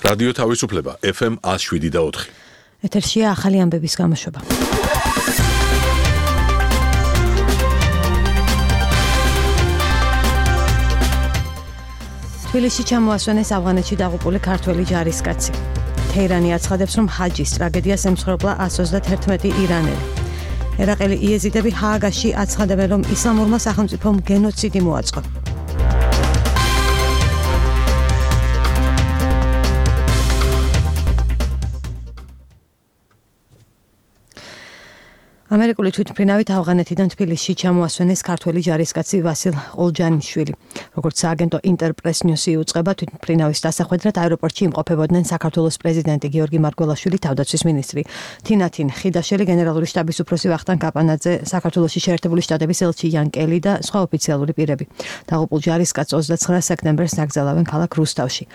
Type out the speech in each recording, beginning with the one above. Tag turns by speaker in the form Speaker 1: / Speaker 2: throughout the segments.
Speaker 1: რადიო თავისუფლება FM 107.4.
Speaker 2: ეთერშია ახალი ამბების გამოშვება. თბილისში ჩამოასვენეს ავღანეთში დაღუპული ქართველი ჯარისკაცი. თეირანი აცხადებს, რომ ჰაჯის ტრაგედიას ემსხვერპლა 131 ირანელი. ერაყელი იეზიდები ჰააგაში აცხადებენ, რომ ისლამურმა სახელმწიფომ გენოციდი მოაწყო. ამერიკული თვითმფრინავით ავღანეთიდან თბილისში ჩამოასვენეს ქართველი ჯარისკაცი ვასილ ყოლჯანიშვილი. როგორც სააგენტო ინტერპრეს ნიუსი უწყება, თვითმფრინავის დასახვედრად აეროპორტში იმყოფებოდნენ საქართველოს პრეზიდენტი გიორგი მარგველაშვილი, თავდაცვის მინისტრი თინათინ ხიდაშელი, გენერალური შტაბის უფროსი ვახტანგ კაპანაძე, საქართველოში შეერთებული შტატების ელჩი იან კელი და სხვა ოფიციალური პირები. დაღუპულ ჯარისკაცს 29 სექტემბერს დაკრძალავენ ქალაქ რუსთავში.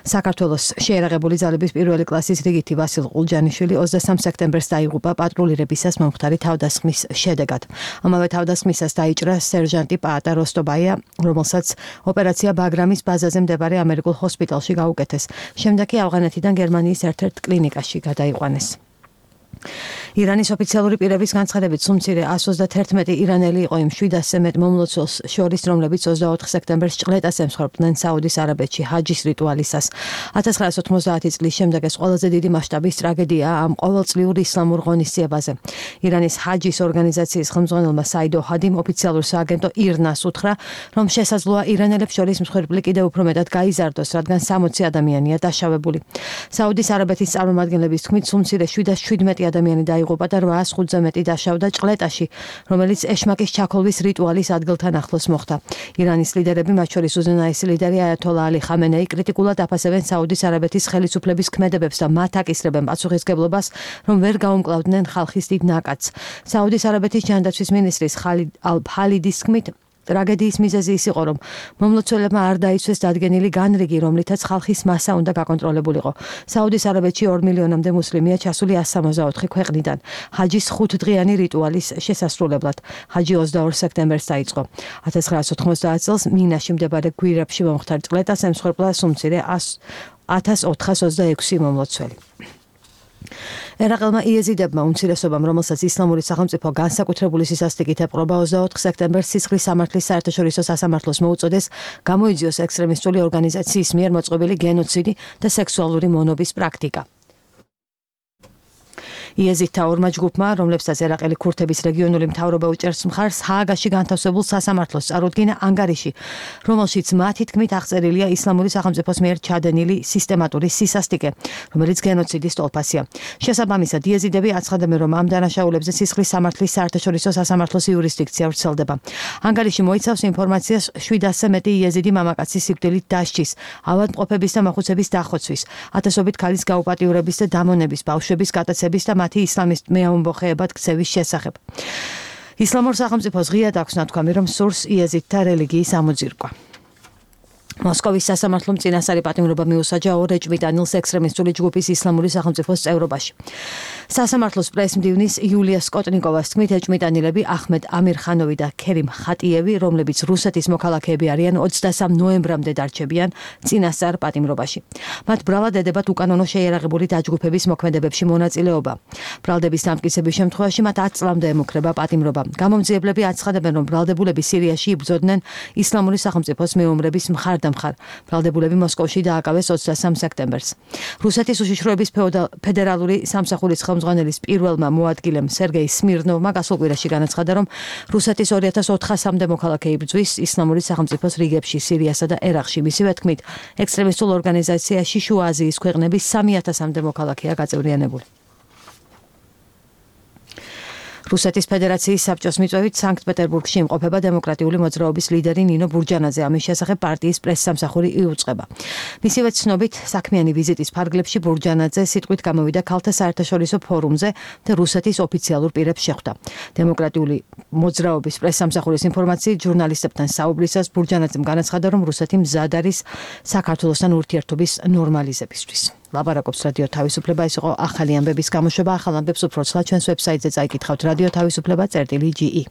Speaker 2: საქართველოს შეერაღებული ძალების პირველი კლასის რიგითი ვასილ ყოლჯანიშვილი 23 სექტემბერს დაიღუპა პატრულირებისას მომხდარი თავდასხმის შედეგად. ამავე თავდასხმისას დაიჭრა სერჟანტი პაატა როსტობაია, რომელსაც ოპერაცია ბაგრამის ბაზაზე მდებარე ამერიკულ ჰოსპიტალში გაუკეთეს. შემდეგ კი ავღანეთიდან გერმანიის ერთ-ერთ კლინიკაში გადაიყვანეს. ირანის ოფიციალური პირების განცხადებით, სუმცირე 131 ირანელი იყო იმ 700-ზე მეტ მომლოცველს შორის, რომლებიც 24 სექტემბერს ჭყლეტას ემსხვერპლდნენ საუდის არაბეთში ჰაჯის რიტუალისას. 1990 წლის შემდეგ ეს ყველაზე დიდი მასშტაბის ტრაგედიაა ამ ყოველწლიურ ისლამურ ღონისძიებაზე. ირანის ჰაჯის ორგანიზაციის ხელმძღვანელმა საიდო ჰადიმ ოფიციალურ სააგენტო ირნას უთხრა, რომ შესაძლოა ირანელებს შორის მსხვერპლი კიდევ უფრო მეტად გაიზარდოს, რადგან 60 ადამიანია დაშავებული. საუდის არაბეთის წარმომადგენლების თქმით, სუმცირე 717 ადამიანი დაიღუპა და 805-ზე მეტი დაშავდა ჭყლეტაში, რომელიც ეშმაკის ჩაქოლვის რიტუალის ადგილთან ახლოს მოხდა. ირანის ლიდერები, მათ შორის უზენაესი ლიდერი აიათოლა ალი ხამენეი, კრიტიკულად აფასებენ საუდის არაბეთის ხელისუფლების ქმედებებს და მათ აკისრებენ პასუხისგებლობას, რომ ვერ გაუმკლავდნენ ხალხის დიდ ნაკადს. საუდის არაბეთის ჯანდაცვის მინისტრის ხალიდ ალ-ფალიდის თქმით, ტრაგედიის მიზეზი ის იყო, რომ მომლოცველებმა არ დაიცვეს დადგენილი განრიგი, რომლითაც ხალხის მასა უნდა გაკონტროლებულიყო. საუდის არაბეთში 2 მილიონამდე მუსლიმია ჩასული 164 ქვეყნიდან ჰაჯის 5დღიანი რიტუალის შესასრულებლად. ჰაჯი 22 სექტემბერს დაიწყო. 1990 წელს მინაში მდებარე გვირაბში მომხდარ ჭყლეტას ემსხვერპლა სუმცირე 1426 მომლოცველი. ერაყელმა იეზიდებმა უმცირესობამ, რომელსაც ისლამური სახელმწიფო განსაკუთრებული სისასტიკით ეპყრობა, 24 სექტემბერს სისხლის სამართლის საერთაშორისო სასამართლოს მოუწოდეს გამოიძიოს ექსტრემისტული ორგანიზაციის მიერ მოწყობილი გენოციდი და სექსუალური მონობის პრაქტიკა. იეზიდთა ორმა ჯგუფმა, რომლებსაც ერაყელი ქურთების რეგიონული მთავრობა უჭერს მხარს, ჰააგაში განთავსებულ სასამართლოს წარუდგინა ანგარიში, რომელშიც მათი თქმით აღწერილია ისლამური სახელმწიფოს მიერ ჩადენილი სისტემატური სისასტიკე, რომელიც გენოციდის ტოლფასია. შესაბამისად, იეზიდები აცხადებენ, რომ ამ დანაშაულებზე სისხლის სამართლის საერთაშორისო სასამართლოს იურისდიქცია ვრცელდება. ანგარიში მოიცავს ინფორმაციას 700-ზე მეტი იეზიდი მამაკაცის სიკვდილით დასჯის, ავადმყოფების და მოხუცების დახოცვის, ათასობით ქალის გაუპატიურების და დამონების, ბავშვების გატაცების და მათი ისლამისტ მეამბოხეებად ქცევის შესახებ. ისლამურ სახელმწიფოს ღიად აქვს ნათქვამი, რომ სურს იეზიდთა რელიგიის ამოძირკვა. მოსკოვის სასამართლომ წინასწარი პატიმრობა მიუსაჯა ორ ეჭვმიტანილს ექსტრემისტული ჯგუფის ისლამური სახელმწიფოს წევრობაში. სასამართლოს პრესმდივნის იულია სკოტნიკოვას თქმით, ეჭვმიტანილები აჰმედ ამირხანოვი და ქერიმ ხატიევი, რომლებიც რუსეთის მოქალაქეები არიან, 23 ნოემბრამდე დარჩებიან წინასწარ პატიმრობაში. მათ ბრალად ედებათ უკანონო შეიარაღებული დაჯგუფების მოქმედებებში მონაწილეობა. ბრალდების დამტკიცების შემთხვევაში მათ 10 წლამდე ემუქრება პატიმრობა. გამომძიებლები აცხადებენ, რომ ბრალდებულები სირიაში იბრძოდნენ ისლამური სახელმწიფოს მეომრების მხარ. ბრალდებულები მოსკოვში დააკავეს 23 სექტემბერს. რუსეთის უშიშროების ფედერალური სამსახურის ხელმძღვანელის პირველმა მოადგილემ სერგეი სმირნოვმა გასულ კვირაში განაცხადა, რომ რუსეთის 2400-მდე მოქალაქე იბრძვის ისლამური სახელმწიფოს რიგებში სირიასა და ერაყში. მისივე თქმით, ექსტრემისტულ ორგანიზაციაში შუა აზიის ქვეყნების 3000-მდე მოქალაქეა გაწევრიანებული. რუსეთის ფედერაციის საბჭოს მიწვევით სანქტ-პეტერბურგში იმყოფება დემოკრატიული მოძრაობის ლიდერი ნინო ბურჯანაძე. ამის შესახებ პარტიის პრესსამსახური იუწყება. მისივე ცნობით, საქმიანი ვიზიტის ფარგლებში ბურჯანაძე სიტყვით გამოვიდა ქალთა საერთაშორისო ფორუმზე და რუსეთის ოფიციალურ პირებს შეხვდა. დემოკრატიული მოძრაობის პრესსამსახურის ინფორმაციით, ჟურნალისტებთან საუბრისას ბურჯანაძემ განაცხადა, რომ რუსეთი მზად არის საქართველოსთან ურთიერთობის ნორმალიზებისთვის. ლაპარაკობს რადიო თავისუფლება. ეს იყო ახალი ამბების გამოშვება. ახალ ამბებს უფრო ცლად ჩვენს ვებსაიტზე წაიკითხავთ რადიო თავისუფლება.ge.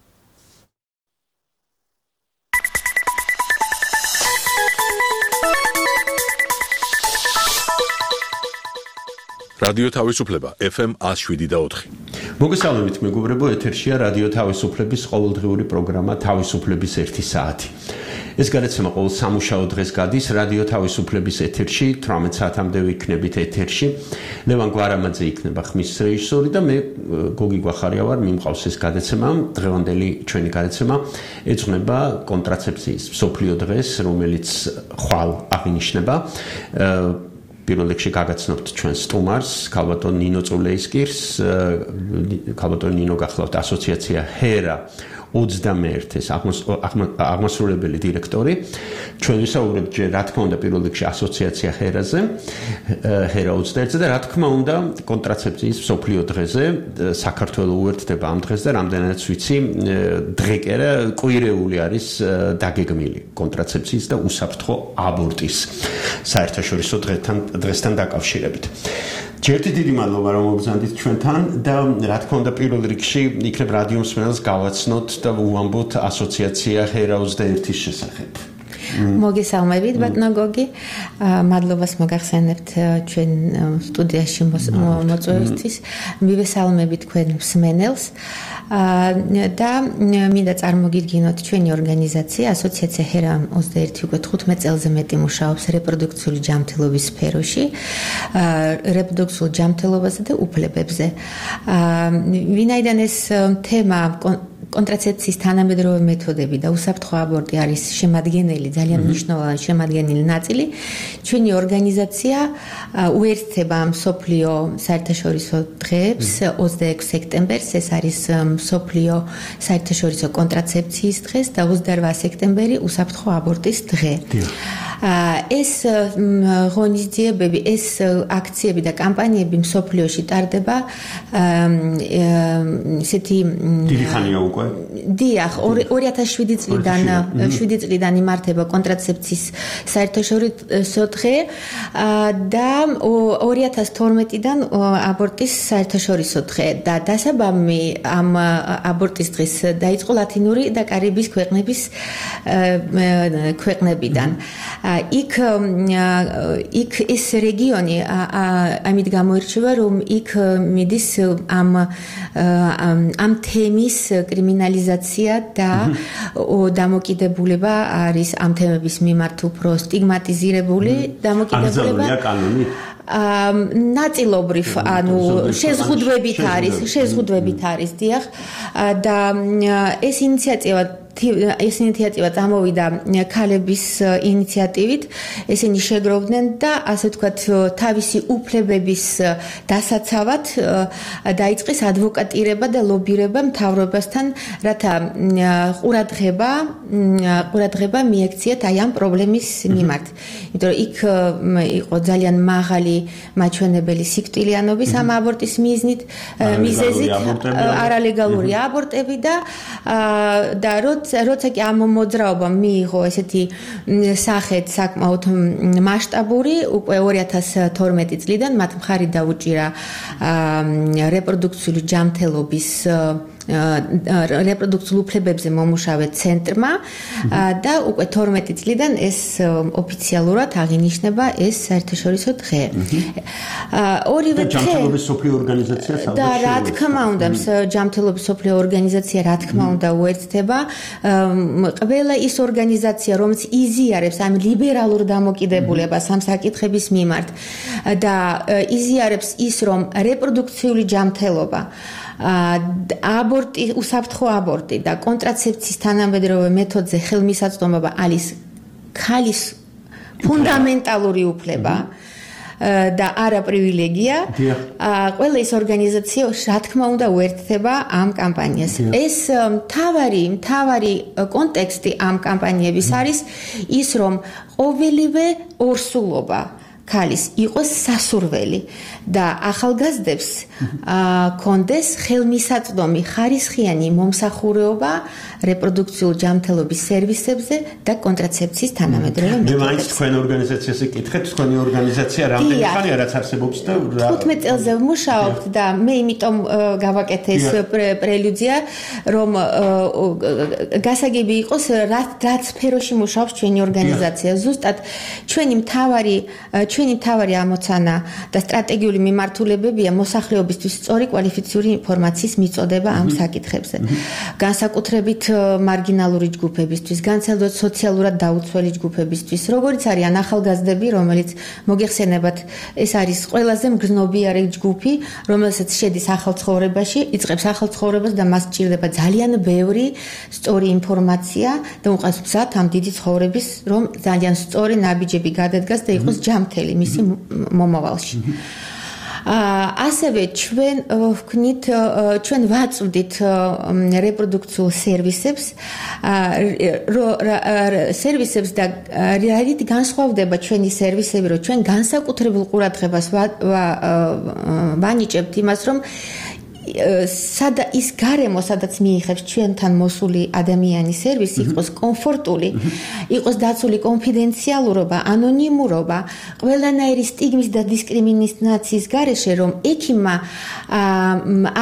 Speaker 1: რადიო თავისუფლება FM 107.4.
Speaker 3: მოგესალმებით მეგობრებო, ეთერშია რადიო თავისუფლების ყოველდღიური პროგრამა თავისუფლების 1 საათი. ეს გადაცემა ყოველ სამუშაო დღეს გადის რადიო თავისუფლების ეთერში, 18 საათამდე ვიქნებით ეთერში. ლევან გვარამაძე იქნება ხმის რეჟისორი და მე გოგი გვახარია ვარ, მიმყავს ეს გადაცემა. დღევანდელი ჩვენი გადაცემა ეძღვნება კონტრაცეფციის მსოფლიო დღეს, რომელიც ხვალ აღინიშნება. პირველ რიგში გაგაცნობთ ჩვენ სტუმარს, ქალბატონ ნინო წულეისკირს, ქალბატონ ნინო გახლავთ ასოციაცია HERA 21-ის აღმასრულებელი დირექტორი. ჩვენ ვისაუბრებთ ჯერ რა თქმა უნდა პირველ რიგში ასოციაცია HERA-ზე, HERA 21-ზე და რა თქმა უნდა კონტრაცეფციის მსოფლიო დღეზე. საქართველოს უერთდება ამ დღეს და რამდენადაც ვიცი, დღე კი არა, კვირეული არის დაგეგმილი კონტრაცეფციის და უსაფრთხო აბორტის საერთაშორისო დღესთან დაკავშირებით. ჯერჯერობით დიდი მადლობა რომ მოგზანდით ჩვენთან და რა თქმა უნდა პირველ რიგში იქნებ რადიო მსმენელს გავაცნოთ და უამბოთ ასოციაცია HERA 21-ის შესახებ.
Speaker 4: მოგესალმებით ბატონო გოგი, მადლობას მოგახსენებთ ჩვენ სტუდიაში მოწვევისთვის. მივესალმებით თქვენ მსმენელს და მინდა წარმოგიდგინოთ ჩვენი ორგანიზაცია ასოციაცია HERA 21 უკვე 15 წელზე მეტი მუშაობს რეპროდუქციული ჯანმრთელობის სფეროში, რეპროდუქციულ ჯანმრთელობაზე და უფლებებზე. ვინაიდან ეს თემა კონტრაცეფციის თანამედროვე მეთოდები და უსაფრთხო აბორტი არის შემადგენელი, ძალიან მნიშვნელოვანი შემადგენელი ნაწილი. ჩვენი ორგანიზაცია უერთდება მსოფლიო საერთაშორისო დღეებს 26 სექტემბერს, ეს არის მსოფლიო საერთაშორისო კონტრაცეფციის დღეს და 28 სექტემბერი უსაფრთხო აბორტის დღე. ეს ღონისძიებები, ეს აქციები და კამპანიები მსოფლიოში ტარდება ისეთი
Speaker 3: დიდი ხანია უკვე.
Speaker 4: დიახ, 2007 წლიდან იმართება კონტრაცეფციის საერთაშორისო დღე და 2012-დან აბორტის საერთაშორისო დღე და დასაბამი ამ აბორტის დღის დაიწყო ლათინური და კარიბის ქვეყნებიდან. იქ ეს რეგიონი ამით გამოირჩევა, რომ იქ მიდის ამ თემის კრიმინალიზაცია და დამოკიდებულება არის ამ თემების მიმართ უფრო სტიგმატიზირებული დამოკიდებულება. ნაწილობრივ, ანუ შეზღუდვებით არის, დიახ, და ეს ინიციატივა წამოვიდა ქალების ინიციატივით. ესენი შეგროვდნენ და ასე ვთქვათ, თავისი უფლებების დასაცავად დაიწყეს ადვოკატირება და ლობირება მთავრობასთან, რათა ყურადღება მიექციათ აი ამ პრობლემის მიმართ. იმიტომ რომ იქ იყო ძალიან მაღალი მაჩვენებელი სიკვდილიანობის ამ აბორტის მიზეზით, არალეგალური აბორტები და როცა კი ამ მოძრაობამ მიიღო ესეთი სახეთ საკმაოდ მასშტაბური, უკვე 2012 წლიდან მათ მხარი დაუჭირა რეპროდუქციული ჯანმრთელობის რეპროდუქციულ უფლებებზე მომუშავე ცენტრმა და უკვე 12 წლიდან ეს ოფიციალურად აღინიშნება ეს საერთაშორისო დღე. ორივე დღე
Speaker 3: ჯანმრთელობის სოფლიო ორგანიზაცია
Speaker 4: და რა თქმა უნდა ჯანმრთელობის სოფლიო ორგანიზაცია რა თქმა უნდა უერთდება ყველა ის ორგანიზაცია, რომელიც იზიარებს ამ ლიბერალურ დამოკიდებულებას ამ საკითხების მიმართ და იზიარებს ის, რომ რეპროდუქციული ჯანმრთელობა აბორტი, უსაფრთხო აბორტი და კონტრაცეფციის თანამედროვე მეთოდზე ხელმისაწვდომობა არის ქალის ფუნდამენტალური უფლება და არა პრივილეგია. ყველა ეს ორგანიზაცია რა თქმა უნდა უერთდება ამ კამპანიას. ეს მთავარი კონტექსტი ამ კამპანიების არის ის, რომ ყოველივე ორსულობა ქალის იყოს სასურველი და ახალგაზრდებს კონდეს ხელმისაწვდომი ხარისხიანი მომსახურება რეპროდუქციულ ჯანმრთელობის სერვისებზე და კონტრაცეფციის თანამედროვე მეთოდებზე.
Speaker 3: მე მაინც თქვენ ორგანიზაციაზე კითხეთ, თქვენი ორგანიზაცია რამდენი ხანია რაც არსებობს და
Speaker 4: 15 წელზე ვმუშაობთ და მე იმიტომ გავაკეთე ეს პრელუდია, რომ გასაგები იყოს, რაც სფეროში მუშაობს ჩვენი ორგანიზაცია. ზუსტად ჩვენი მთავარი ჩვენი მთავარი ამოცანა და სტრატეგიული მიმართულებებია მოსახლეობისთვის სწორი კვალიფიციური ინფორმაციის მიწოდება ამ საკითხებზე. განსაკუთრებით მარგინალური ჯგუფებისთვის, განსაკუთრებით სოციალურად დაუცველი ჯგუფებისთვის, როგორც არიან ახალგაზრდები, რომელიც მოგეხსენებათ, ეს არის ყველაზე მგრძნობიარე ჯგუფი, რომელსაც შედის ახალ ცხოვრებაში, იწყებს ახალ ცხოვრებას და მას სჭირდება ძალიან ბევრი სწორი ინფორმაცია და უყავს გზად ამ დიდი ცხოვრების, რომ ძალიან სწორი ნაბიჯები გადადგას და იყოს ჯამთელი მისი მომავალში. ასევე ჩვენ ვაწვდით რეპროდუქციულ სერვისებს და რით განსხვავდება ჩვენი სერვისები, რომ ჩვენ განსაკუთრებულ ყურადღებას ვანიჭებთ იმას, რომ ის გარემო, სადაც მიიღებს ჩვენთან მოსული ადამიანის სერვისი, იყოს კომფორტული, იყოს დაცული კონფიდენციალურობა, ანონიმურობა, ყველანაირი სტიგმის და დისკრიმინაციის გარეშე, რომ ექიმმა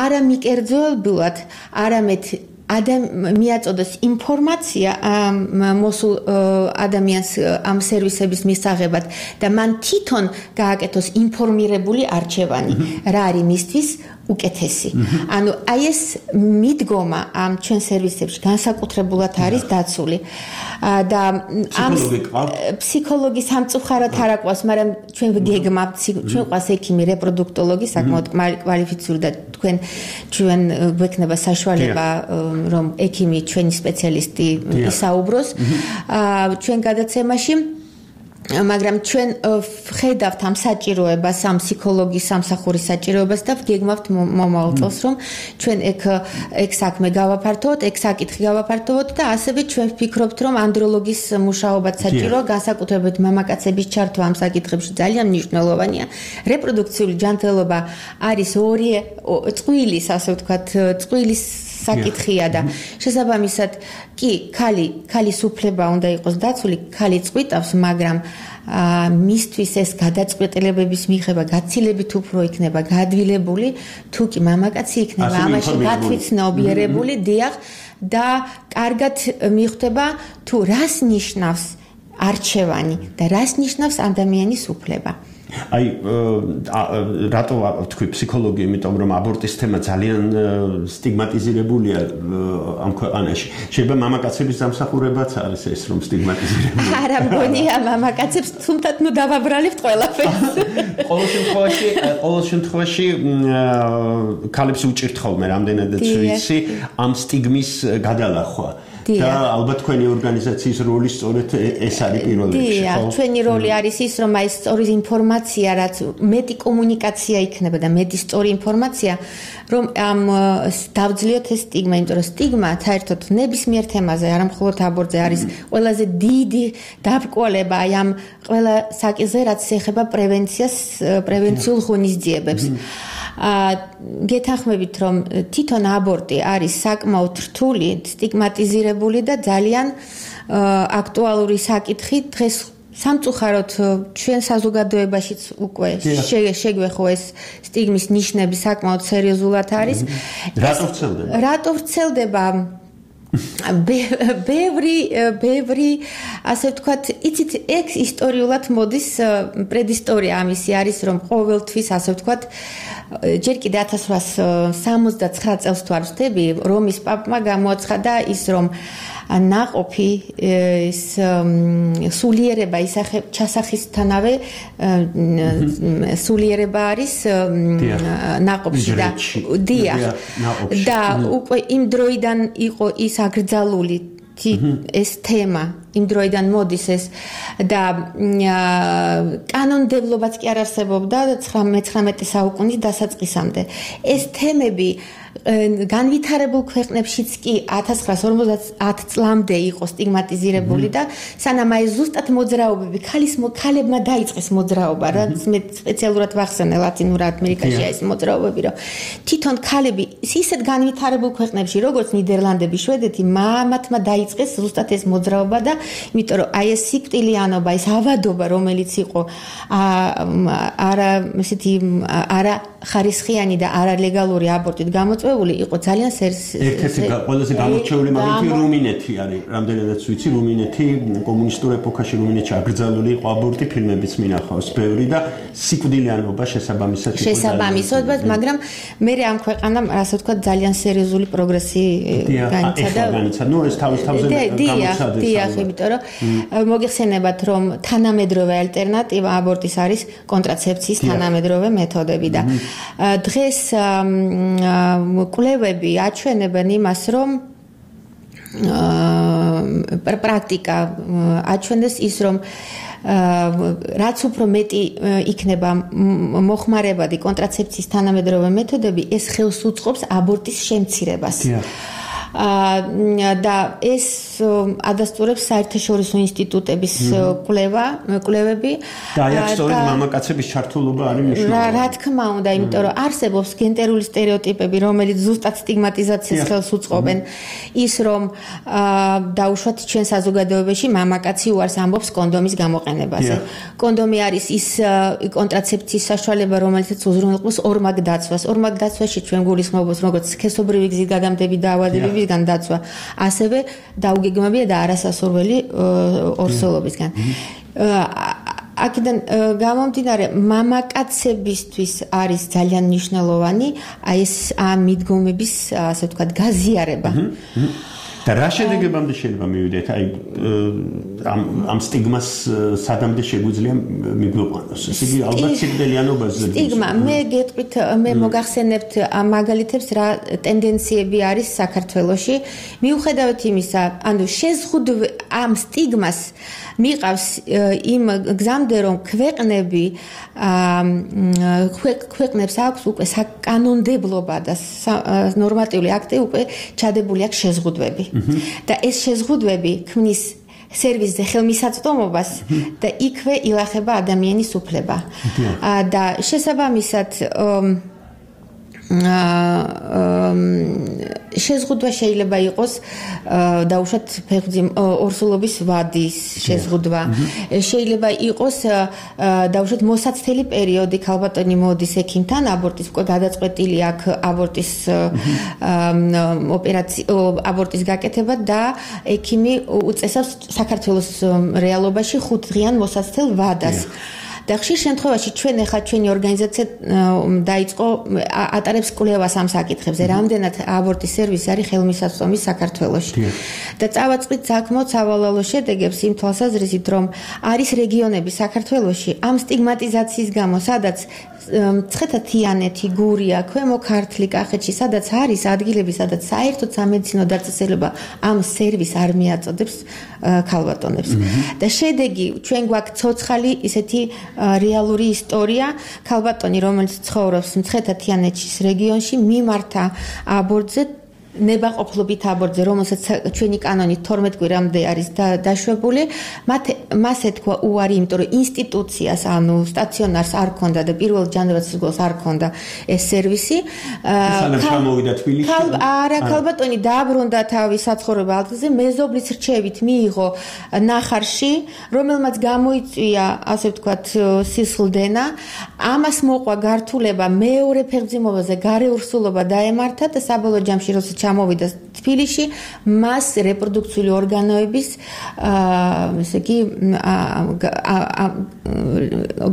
Speaker 4: არა მიკერძოებულად, არამედ მიაწოდოს ინფორმაცია მოსულ ადამიანს ამ სერვისების მისაღებად და მან თვითონ გააკეთოს ინფორმირებული არჩევანი, რა არის მისთვის უკეთესი. ანუ აი ეს მიდგომა ამ ჩვენ სერვისებში განსაკუთრებულად არის დაცული. და ამ ფსიქოლოგი სამწუხაროდ არ აყვავს, მაგრამ ჩვენ გეგმავთ, ჩვენ ყავს ექიმი, რეპროდუქტოლოგი, საკმაოდ კვალიფიციური და ჩვენ გვექნება საშუალება რომ ექიმი ჩვენი სპეციალისტი ისაუბროს ჩვენ გადაცემაში. მაგრამ ჩვენ ხედავთ ამ საჭიროებას, ამ ფსიქოლოგის სამსახურის საჭიროებას და გეგმავთ მომავალ წელს, რომ ჩვენ ეგ საქმე გავაფართოვოთ, ეგ საკითხი გავაფართოვოთ და ასევე ჩვენ ვფიქრობთ, რომ ანდროლოგის მუშაობაც საჭიროა, განსაკუთრებით მამაკაცების ჩართვა ამ საკითხებში ძალიან მნიშვნელოვანია. რეპროდუქციული ჯანმრთელობა არის წყვილის, ასე ვთქვათ, წყვილის საკითხია და შესაბამისად კი ქალის უფლება უნდა იყოს დაცული, ქალი წყვიტავს, მაგრამ მისთვის ეს გადაწყვეტილებების მიღება გაცილებით უფრო იქნება გადვილებული, თუ კი მამაკაცი იქნება ამაში გათვითცნობიერებული, დიახ, და კარგად მიხვდება თუ რას ნიშნავს არჩევანი და რას ნიშნავს ადამიანის უფლება.
Speaker 3: აი რატო თქვი ფსიქოლოგი, იმიტომ რომ აბორტის თემა ძალიან სტიგმატიზირებულია ამ ქვეყანაში. შეიძლება მამაკაცების დამსახურებაც არის ეს, რომ სტიგმატიზირებული.
Speaker 4: არა მგონია მამაკაცებს, თუმცა ნუ დავაბრალებთ ყველაფერს.
Speaker 3: ყოველ შემთხვევაში ქალებს უჭირთ ხოლმე რამდენადაც ვიცი ამ სტიგმის გადალახვა. და ალბათ თქვენი ორგანიზაციის როლი სწორედ ეს არის პირველ რიგში, ხო?
Speaker 4: ჩვენი როლი არის ის, რომ აი სწორი ინფორმაცია, რაც მეტი კომუნიკაცია იქნება და მეტი სწორი ინფორმაცია, რომ ამ დავძლიოთ ეს სტიგმა, იმიტომ რომ სტიგმა საერთოდ ნებისმიერ თემაზე, არა მხოლოდ აბორტზე არის ყველაზე დიდი დაბრკოლება აი ამ ყველა საკითხზე, რაც ეხება პრევენციულ ღონისძიებებს. გეთანხმებით, რომ თვითონ აბორტი არის საკმაოდ რთული, სტიგმატიზირებული და ძალიან აქტუალური საკითხი დღეს სამწუხაროდ ჩვენ საზოგადოებაშიც უკვე შეგვეხო ეს სტიგმის ნიშნები საკმაოდ სერიოზულად არის. რატო ვრცელდება? ბევრი ასე ვთქვათ, იცით, ეგ ისტორიულად მოდის პრედისტორია ამისი არის, რომ ყოველთვის ასე ვთქვათ, ჯერ კიდე 1869 წელს თუ არ ვცდები, რომის პაპმა გამოაცხადა ის, რომ ნაყოფი ის სულიერება ჩასახისთანავე სულიერება არის ნაყოფში და უკვე იმ დროიდან იყო ის აკრძალული ეს თემა, იმ დროიდან მოდის ეს და კანონმდებლობაც კი არ არსებობდა 19 საუკუნის დასაწყისამდე. ეს თემები განვითარებულ ქვეყნებშიც კი 1950 წლამდე იყო სტიგმატიზირებული და სანამ აი ზუსტად მოძრაობები ქალებმა დაიწყეს მოძრაობა, რაც მე სპეციალურად ვახსენე ლათინურ ამერიკაში ეს მოძრაობები, რომ თვითონ ქალები ისეთ განვითარებულ ქვეყნებში, როგორც ნიდერლანდები, შვედეთი, მათმა დაიწყეს ზუსტად ეს მოძრაობა და იმიტომ რომ აი ეს სიკვდილიანობა, ეს ავადობა, რომელიც იყო არა ხარისხიანი და არალეგალური აბორტით გამოწვეული იყო ძალიან
Speaker 3: ერთ-ერთი ყველაზე გამორჩეული მაგალითი რუმინეთი არის. რამდენადაც ვიცი, რუმინეთი კომუნისტურ ეპოქაში რუმინეთში აკრძალული იყო აბორტი, ფილმებიც მინახავს ბევრი და სიკვდილიანობა შესაბამისად იყო.
Speaker 4: შესაბამისად, მაგრამ მე ამ ქვეყანამ ასე ვთქვათ ძალიან სერიოზული პროგრესი განიცადა.
Speaker 3: ნუ ეს თავის-თავზე გამოცხადდეს.
Speaker 4: დიახ, იმიტომ რომ მოგიხსენებათ რომ თანამედროვე ალტერნატივა აბორტის არის კონტრაცეფციის თანამედროვე მეთოდები და დღეს კვლევები აჩვენებენ იმას, რომ პრაქტიკა აჩვენებს ის, რომ რაც უფრო მეტი იქნება მოხმარებადი კონტრაცეფციის თანამედროვე მეთოდები, ეს ხელს უწყობს აბორტის შემცირებას. და ეს ადასტურებს საერთაშორისო ინსტიტუტების კვლევები
Speaker 3: და აი სწორედ მამაკაცების ჩართულობა არის მნიშვნელოვანი.
Speaker 4: რა თქმა უნდა, იმიტომ რომ არსებობს გენდერული სტერეოტიპები, რომელიც ზუსტად სტიგმატიზაციას ხელს უწყობენ, ის რომ დაუშვათ ჩვენ საზოგადოებაში მამაკაცი უარს ამბობს კონდომის გამოყენებაზე. კონდომი არის ის კონტრაცეფციის საშუალება, რომელიც უზრუნველყოფს ორმაგ დაცვას. ორმაგ დაცვაში ჩვენ გულისხმობთ როგორც სქესობრივი გზის გადამდები დაავადებები გან დაცვა, ასევე დაუგეგმებია და არასასურველი ორსულობისგან. აქედან გამომდინარე, მამაკაცებისთვის არის ძალიან მნიშვნელოვანი აი ეს მიდგომების, ასე ვთქვათ, გაზიარება.
Speaker 3: და რა შედეგებამდე შეიძლება მივიდეთ? აი ამ სტიგმას სადამდე შეგვიძლია მიგვიყვანოს? ესე იგი ალბათ სიკვდილიანობაზე.
Speaker 4: სტიგმა, მე გეტყვით, მე მოგახსენებთ მაგალითებს რა ტენდენციები არის საქართველოში. მიუხედავად იმისა, ანუ შეზღუდვა ამ სტიგმას მიყავს იმ გზამდე, რომ ქვეყნებს აქვს უკვე საკანონმდებლობა და ნორმატიული აქტი უკვე ჩადებული აქვს შეზღუდვები. და ეს შეზღუდვები ქმნის სერვისზე ხელმისაწვდომობას და იქვე ილახება ადამიანის უფლება. და შესაბამისად შეზღუდვა შეიძლება იყოს დაუშვათ ფეხბურთის ორსულობის ვადის შეზღუდვა. შეიძლება იყოს დაუშვათ მოსაცდელი პერიოდი, ქალბატონი მოდის ექიმთან, აბორტის უკვე გადაწყვეტილი აქვს აბორტის აბორტის გაკეთება და ექიმი უწესავს საქართველოს რეალობაში 5 დღიან მოსაცდელ ვადას. და ხშირ შემთხვევაში ჩვენი ორგანიზაცია დაიწყო ატარებს კვლევას ამ საკითხებზე, რამდენად აბორტის სერვისი არის ხელმისაწვდომი საქართველოში. და წავაწყდით საქმო სავალალო შედეგებს იმ თვალსაზრისით, რომ არის რეგიონები საქართველოში ამ სტიგმატიზაციის გამო, სადაც ცხეთა-თიანეთი, გურია, ქვემო ქართლი, კახეთში, სადაც არის ადგილები, სადაც საერთოდ სამედიცინო დაწესება ამ სერვისს არ მიაწოდებს ქალბატონებს. და შედეგი ჩვენ გვაქვს ცოცხალი ისეთი რეალური ისტორია, ქალბატონი, რომელიც ცხოვრობს მცხეთა-თიანეთის რეგიონში, მიმართა აბორტზე ნებაყოფლობით აბორტზე, რომელსაც ჩვენი კანონით 12 კვირამდე არის დაშვებული, მას ეთქვა უარი, იმიტომ რომ ინსტიტუციას, ანუ სტაციონარს არ ქონდა და პირველ ჯანდაცვის არ ქონდა ეს სერვისი.
Speaker 3: ჩამოვიდა თბილისში.
Speaker 4: არა, ქალბატონი დააბრუნდა თავის საცხოვრებელ ადგილზე, მეზობლის რჩევით მიიღო ნახარში, რომელმაც გამოიწვია, ასე ვთქვათ, სისხლდენა. ამას მოყვა გართულება მეორე ფეხმძიმობაზე, გარეურსულობა დაემართა და საბოლოო ჯამში როცა ჩამოვიდა თბილისში, მას რეპროდუქციული ორგანოების ესე იგი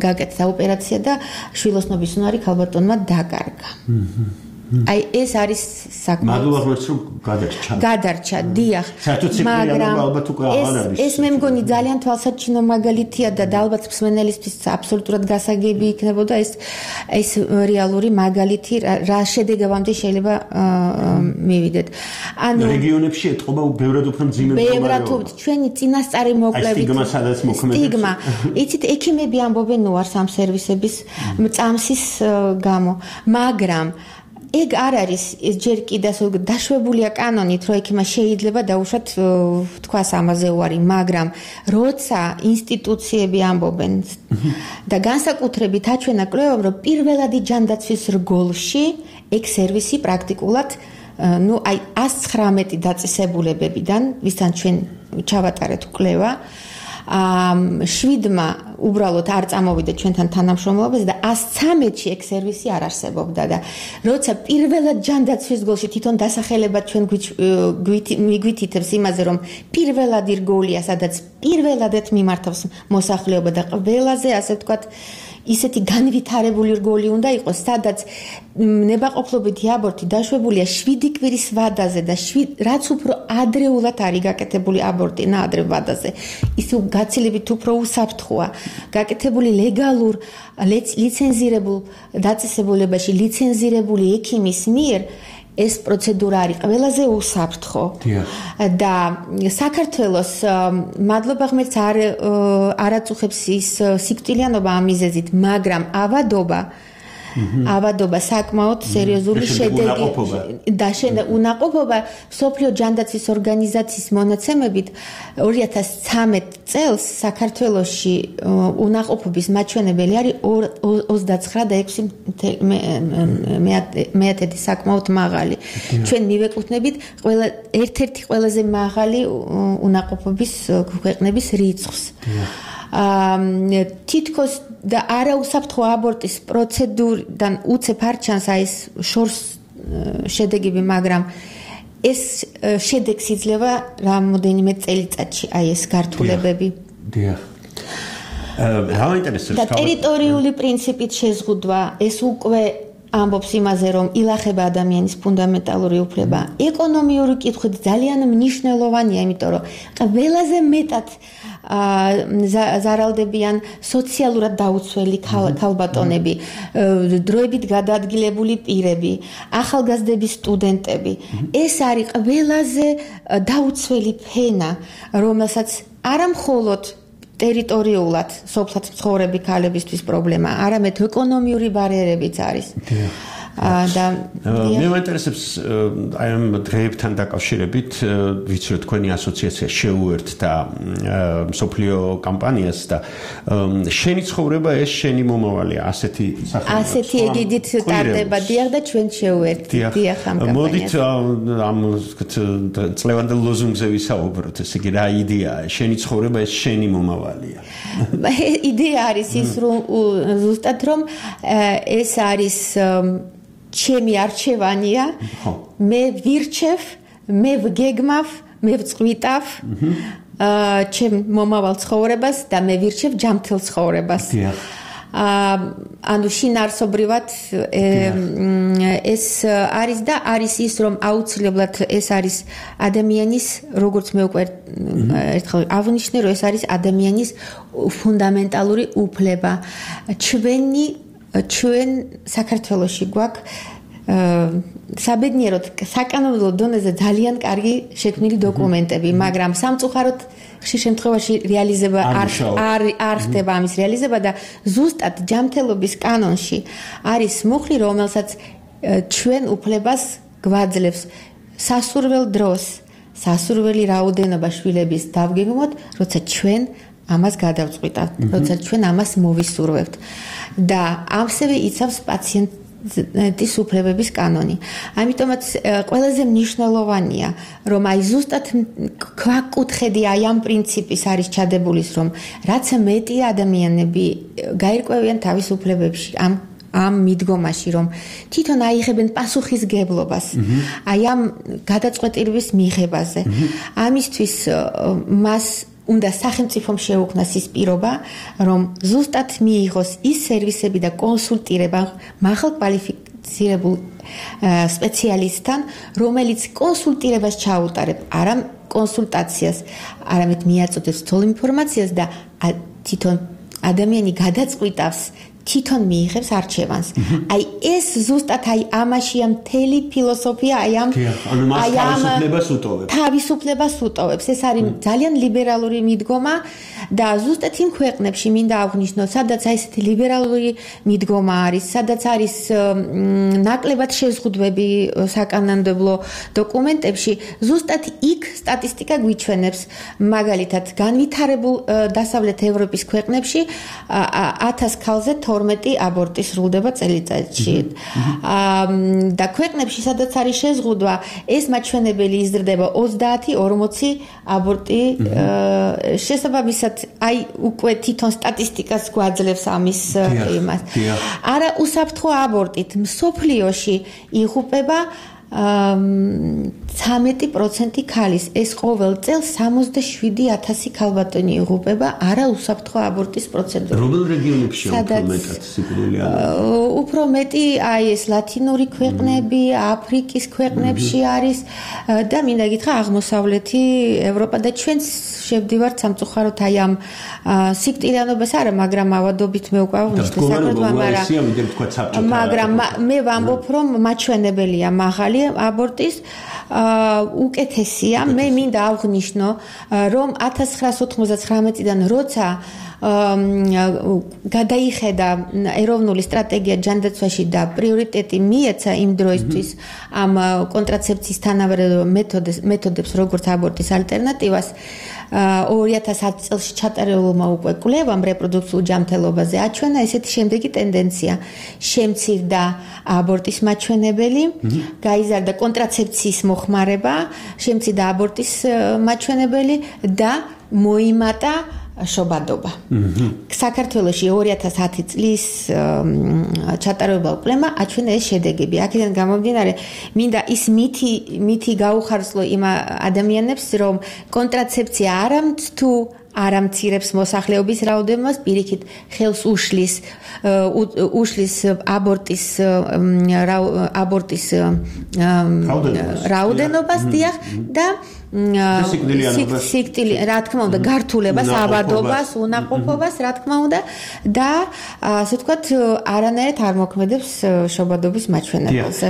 Speaker 4: გაკეთდა ოპერაცია და შვილოსნობის უნარი ქალბატონმა დაკარგა. აი ეს არის საკმაოდ
Speaker 3: მაგალითად რომ
Speaker 4: გადარჩა, დიახ. მაგრამ ეს მე მგონი ძალიან თვალსაჩინო მაგალითია და ალბათ მსმენელისთვის აბსოლუტურად გასაგები იქნებოდა ეს რეალური მაგალითი, რა შედეგებამდე შეიძლება მივიდეთ. ანუ
Speaker 3: რეგიონებში ეთყობა ბევრად უფრო მძიმე
Speaker 4: მდგომარეობა. ჩვენი წინასწარი მოკვლევით სტიგმა. იცით, ექიმები ამბობენ უარს ამ სერვისების წამსის გამო, მაგრამ ეგ არ არის ჯერ კიდევ დაშვებულია კანონით, რომ ექიმა შეიძლება დაუშვათ თქვას ამაზე უარი, მაგრამ როცა ინსტიტუციები ამბობენ და განსაკუთრებით აჩვენა კვლევამ, რომ პირველადი ჯანდაცვის რგოლში ეგ სერვისი პრაქტიკულად ну აი 119 დაწესებულებებიდან, ვისთან ჩვენ ჩავატარეთ კვლევა, 7-მა უბრალოდ არ წამოვიდა ჩვენთან თანამშრომლობაზე და 113-ში ეგ სერვისი არ არსებობდა და როცა პირველად ჯანდაცვის გოლში თვითონ დასახელებად ჩვენ მიგვითითებს იმაზე რომ პირველად ირგოლია სადაც პირველადეთ მიმართავს მოსახლეობა და ყველაზე ასე ვთქვათ ისეთი განვითარებული რგოლი უნდა იყოს, სადაც ნებაყოფლობითი აბორტი დაშვებულია 7 კვირის ვადაზე და რაც უფრო ადრეულად არის გაკეთებული აბორტი ნაადრევ ვადაზე, ის გაცილებით უფრო უსაფრთხოა. გაკეთებული ლეგალურ ლიცენზირებულ დაწესებულებაში ლიცენზირებული ექიმის მიერ ეს პროცედურა არის ყველაზე უსაფრთხო და საქართველოს მადლობა ღმერთს არაწუხებს ის სიკვდილიანობა ამ მიზეზით, მაგრამ ავადობა საკმაოდ სერიოზული შედეგი და უნაყოფობა სოფლიო ჯანდაცვის ორგანიზაციის მონაცემებით 2013 წელს საქართველოში უნაყოფობის მაჩვენებელი არის 29.6 საკმაოდ მაღალი. ჩვენ მივეკუთვნებით ერთ-ერთი ყველაზე მაღალი უნაყოფობის ქვეყნების რიცხვს. თითქოს და არაუსაფრთხო აბორტის პროცედურიდან უცებ არ ჩანს ეს შორს შედეგები, მაგრამ ეს შედეგს იძლევა რამოდენიმე წელიწადში ეს გართულებები.
Speaker 3: დიახ.
Speaker 4: და ტერიტორიული პრინციპით შეზღუდვა ეს უკვე ამბობს იმაზე, რომ ილახება ადამიანის ფუნდამენტალური უფლება. ეკონომიური კითხვით ძალიან მნიშვნელოვანია, იმიტომ რომ ყველაზე მეტად ზარალდებიან სოციალურად დაუცველი ქალბატონები, დროებით გადაადგილებული პირები, ახალგაზრდები, სტუდენტები. ეს არის ყველაზე დაუცველი ფენა, რომელსაც არამხოლოდ ტერიტორიულად სოფლად მცხოვრები ქალებისთვის პრობლემა, არამედ ეკონომიური ბარიერებიც არის. და
Speaker 3: მე მაინტერესებს აი ამ დღეებთან დაკავშირებით, ვიცი რომ თქვენი ასოციაცია შეუერთდა მსოფლიო კამპანიას და შენი ცხოვრება ეს შენი მომავალია, ასეთი
Speaker 4: ეგიდით ტარდება დიახ და ჩვენ შეუერთდით დიახ ამ კამპანიას.
Speaker 3: მოდით ამ წლევანდელ ლოზუნგზე ვისაუბროთ, ესე იგი რა იდეაა, შენი ცხოვრება ეს შენი მომავალია.
Speaker 4: იდეა არის ის რომ ზუსტად რომ ეს არის ჩემი არჩევანია, მე ვირჩევ, მე ვგეგმავ, მე ვწყვიტავ ჩემ მომავალ ცხოვრებას და მე ვირჩევ ჯანმრთელ ცხოვრებას. ანუ შინაარსობრივად ეს არის და არის ის რომ აუცილებლად ეს არის ადამიანის, როგორც მე უკვე ერთხელ აღნიშნე, რომ ეს არის ადამიანის ფუნდამენტალური უფლება. ჩვენ საქართველოში გვაქვს საბედნიეროდ საკანონმდებლო დონეზე ძალიან კარგი შექმნილი დოკუმენტები, მაგრამ სამწუხაროდ ხშირ შემთხვევაში რეალიზება არ ხდება ამის რეალიზება და ზუსტად ჯანმრთელობის კანონში არის მუხლი, რომელსაც ჩვენ უფლებას გვაძლევს სასურველ დროს, სასურველი რაოდენობა შვილების დავგეგმოთ, როცა ჩვენ ამას გადავწყვიტავთ, როცა ჩვენ ამას მოვისურვებთ. და ამსევე იცავს პაციენტის უფლებების კანონი. ამიტომაც ყველაზე მნიშვნელოვანია, რომ აი ზუსტად ქვაკუთხედი აი ამ პრინციპის არის ჩადებული, რომ რაც მეტი ადამიანები გაირკვევიან თავის უფლებებში, ამ მიდგომაში, რომ თვითონ აიღებენ პასუხისგებლობას აი ამ გადაწყვეტილების მიღებაზე. ამისთვის მას უნდა სახელმწიფომ შეუქმნას ის პირობა, რომ ზუსტად მიიღოს ის სერვისები და კონსულტირება მაღალკვალიფიცირებულ სპეციალისტთან, რომელიც კონსულტირებას ჩაუტარებ, არა კონსულტაციას, არამედ მიაწოდებს თვალ ინფორმაციას და თვითონ ადამიანი გადაწყვიტავს, თვითონ მიიღებს არჩევანს. აი ეს ზუსტად აი ამაშია მთელი ფილოსოფია, აი ამ თავისუფლებას უტოვებს. ეს არის ძალიან ლიბერალური მიდგომა და ზუსტად იმ ქვეყნებში მინდა აღვნიშნო, სადაც აი ესეთი ლიბერალური მიდგომა არის, სადაც არის ნაკლებად შეზღუდვები საკანონმდებლო დოკუმენტებში, ზუსტად იქ სტატისტიკა გვიჩვენებს, მაგალითად, განვითარებულ დასავლეთ ევროპის ქვეყნებში 1000 ქალზე 12 აბორტი სრულდება წელიწადში. და ქვეყნებში, სადაც არის შეზღუდვა, ეს მაჩვენებელი იზრდება 30-40 აბორტი. შესაბამისად, აი უკვე თვითონ სტატისტიკას გვაძლევს ამის იმას. არა უსაფრთხო აბორტით მსოფლიოში იღუპება 13% ქალის. ეს ყოველ წელს 67,000 ქალბატონი იღუპება არა უსაფრთხო აბორტის პროცედურით.
Speaker 3: რომელ რეგიონებში უფრო მეტად სიკვდილი არის?
Speaker 4: უფრო მეტი აი ეს ლათინური ქვეყნები, აფრიკის ქვეყნებში არის და მინდა გითხრა აღმოსავლეთი ევროპა და ჩვენც შევდივართ სამწუხაროდ აი ამ სიკვდილიანობას არა, მაგრამ ავადობით მე უკვე აღნიშნე საქართველოს, მაგრამ მე ვამბობ, რომ მაჩვენებელია მაღალი აბორტის უკეთესია. მე მინდა აღვნიშნო, რომ 1999-დან როცა გადაიხედა ეროვნული სტრატეგია ჯანდაცვაში და პრიორიტეტი მიეცა იმ დროისთვის ამ კონტრაცეფციის თანაბარ მეთოდებს, როგორც აბორტის ალტერნატივას, 2010 წელს ჩატარებულმა უკვე კვლევამ რეპროდუქციულ ჯანმრთელობაზე აჩვენა ესეთი შემდეგი ტენდენცია: შემცირდა აბორტის მაჩვენებელი, გაიზარდა კონტრაცეფციის მოხმარება, შემცირდა აბორტის მაჩვენებელი და მოიმატა შობადობა. საქართველოში 2010 წლის ჩატარებულ კვლევამ აჩვენა ეს შედეგები. აქედან გამომდინარე, მინდა ის მითი გაუხარსლო იმ ადამიანებს, რომ კონტრაცეფცია არამცთუ არამცირებს მოსახლეობის რაოდენობას, პირიქით ხელს უშლის აბორტის რაოდენობას დიახ და რა თქმა უნდა გართულებას, ავადობას, უნაყოფობას, რა თქმა უნდა და ასე ვთქვათ, არანაირად არ მოქმედებს შობადობის მაჩვენებელზე.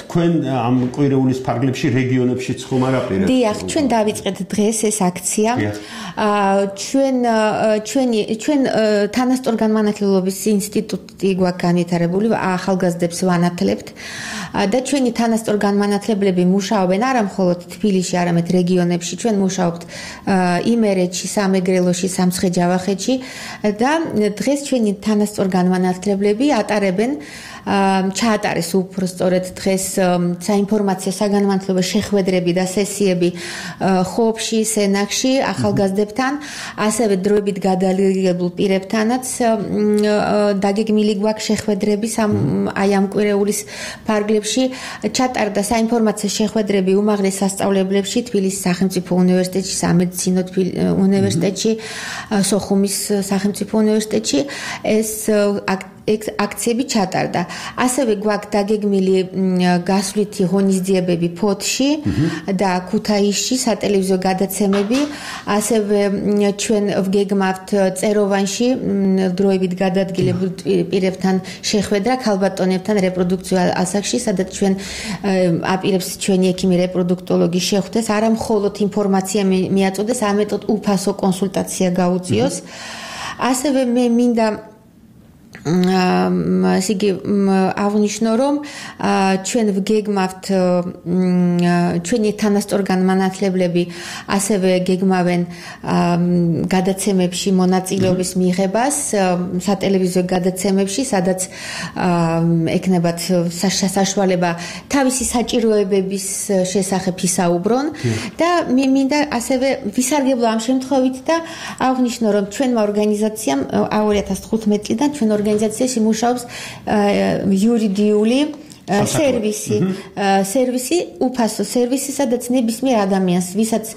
Speaker 3: თქვენ ამ კვირეულის ფარგლებში რეგიონებშიც ხომ არ აპირებთ?
Speaker 4: დიახ, ჩვენ დავიწყეთ დღეს ეს აქცია. ჩვენ თანასწორგანმანათლებლობის ინსტიტუტი გვაქვს განვითარებული, ახალგაზრდებს ვანათლებთ და ჩვენი თანასწორგანმანათლებლები მუშაობენ არა მხოლოდ თბილისში, არამედ რეგიონებში. ჩვენ მუშაობთ იმერეთში, სამეგრელოში, სამცხე-ჯავახეთში და დღეს ჩვენი თანასწორგანმანათლებლები ატარებენ ჩაატარეს უფრო სწორედ დღეს საინფორმაციო საგანმანათლებლო შეხვედრები და სესიები ხობში, სენაკში, ახალგაზრდებთან, ასევე დროებით გადაადგილებულ პირებთანაც დაგეგმილი გვაქვს შეხვედრები აი ამ კვირეულის ფარგლებში. ჩატარდა საინფორმაციო შეხვედრები უმაღლეს სასწავლებლებში, თბილისის სახელმწიფო უნივერსიტეტში, სამედიცინო უნივერსიტეტში, სოხუმის სახელმწიფო უნივერსიტეტში. ეს აქციები ჩატარდა. ასევე გვაქვს დაგეგმილი გასვლითი ღონისძიებები ფოთში და ქუთაისში, სატელევიზიო გადაცემები. ასევე ჩვენ ვგეგმავთ წეროვანში დროებით გადაადგილებულ პირებთან შეხვედრა ქალბატონებთან რეპროდუქციულ ასაკში, სადაც ჩვენ აპირებს ჩვენი ექიმი რეპროდუქტოლოგი შეხვდეს, არა მხოლოდ ინფორმაცია მიაწოდეს, ამეტოდ უფასო კონსულტაცია გაუწიოს. ასევე მე მინდა ისიგი აღნიშნო, რომ ჩვენ ვგეგმავთ ჩვენი თანასწორგანმანათლებლები ასევე გეგმავენ გადაცემებში მონაწილეობის მიღებას სატელევიზიო გადაცემებში, სადაც ექნებათ საშუალება თავისი საჭიროებების შესახებ ისაუბრონ და მე მინდა ასევე ვისარგებლო ამ შემთხვევით და აღნიშნო, რომ ჩვენმა ორგანიზაციამ 2015 წლიდან ჩვენ ორგანიზაციაში მუშაობს იურიდიული სერვისი, უფასო სერვისი, სადაც ნებისმიერ ადამიანს, ვისაც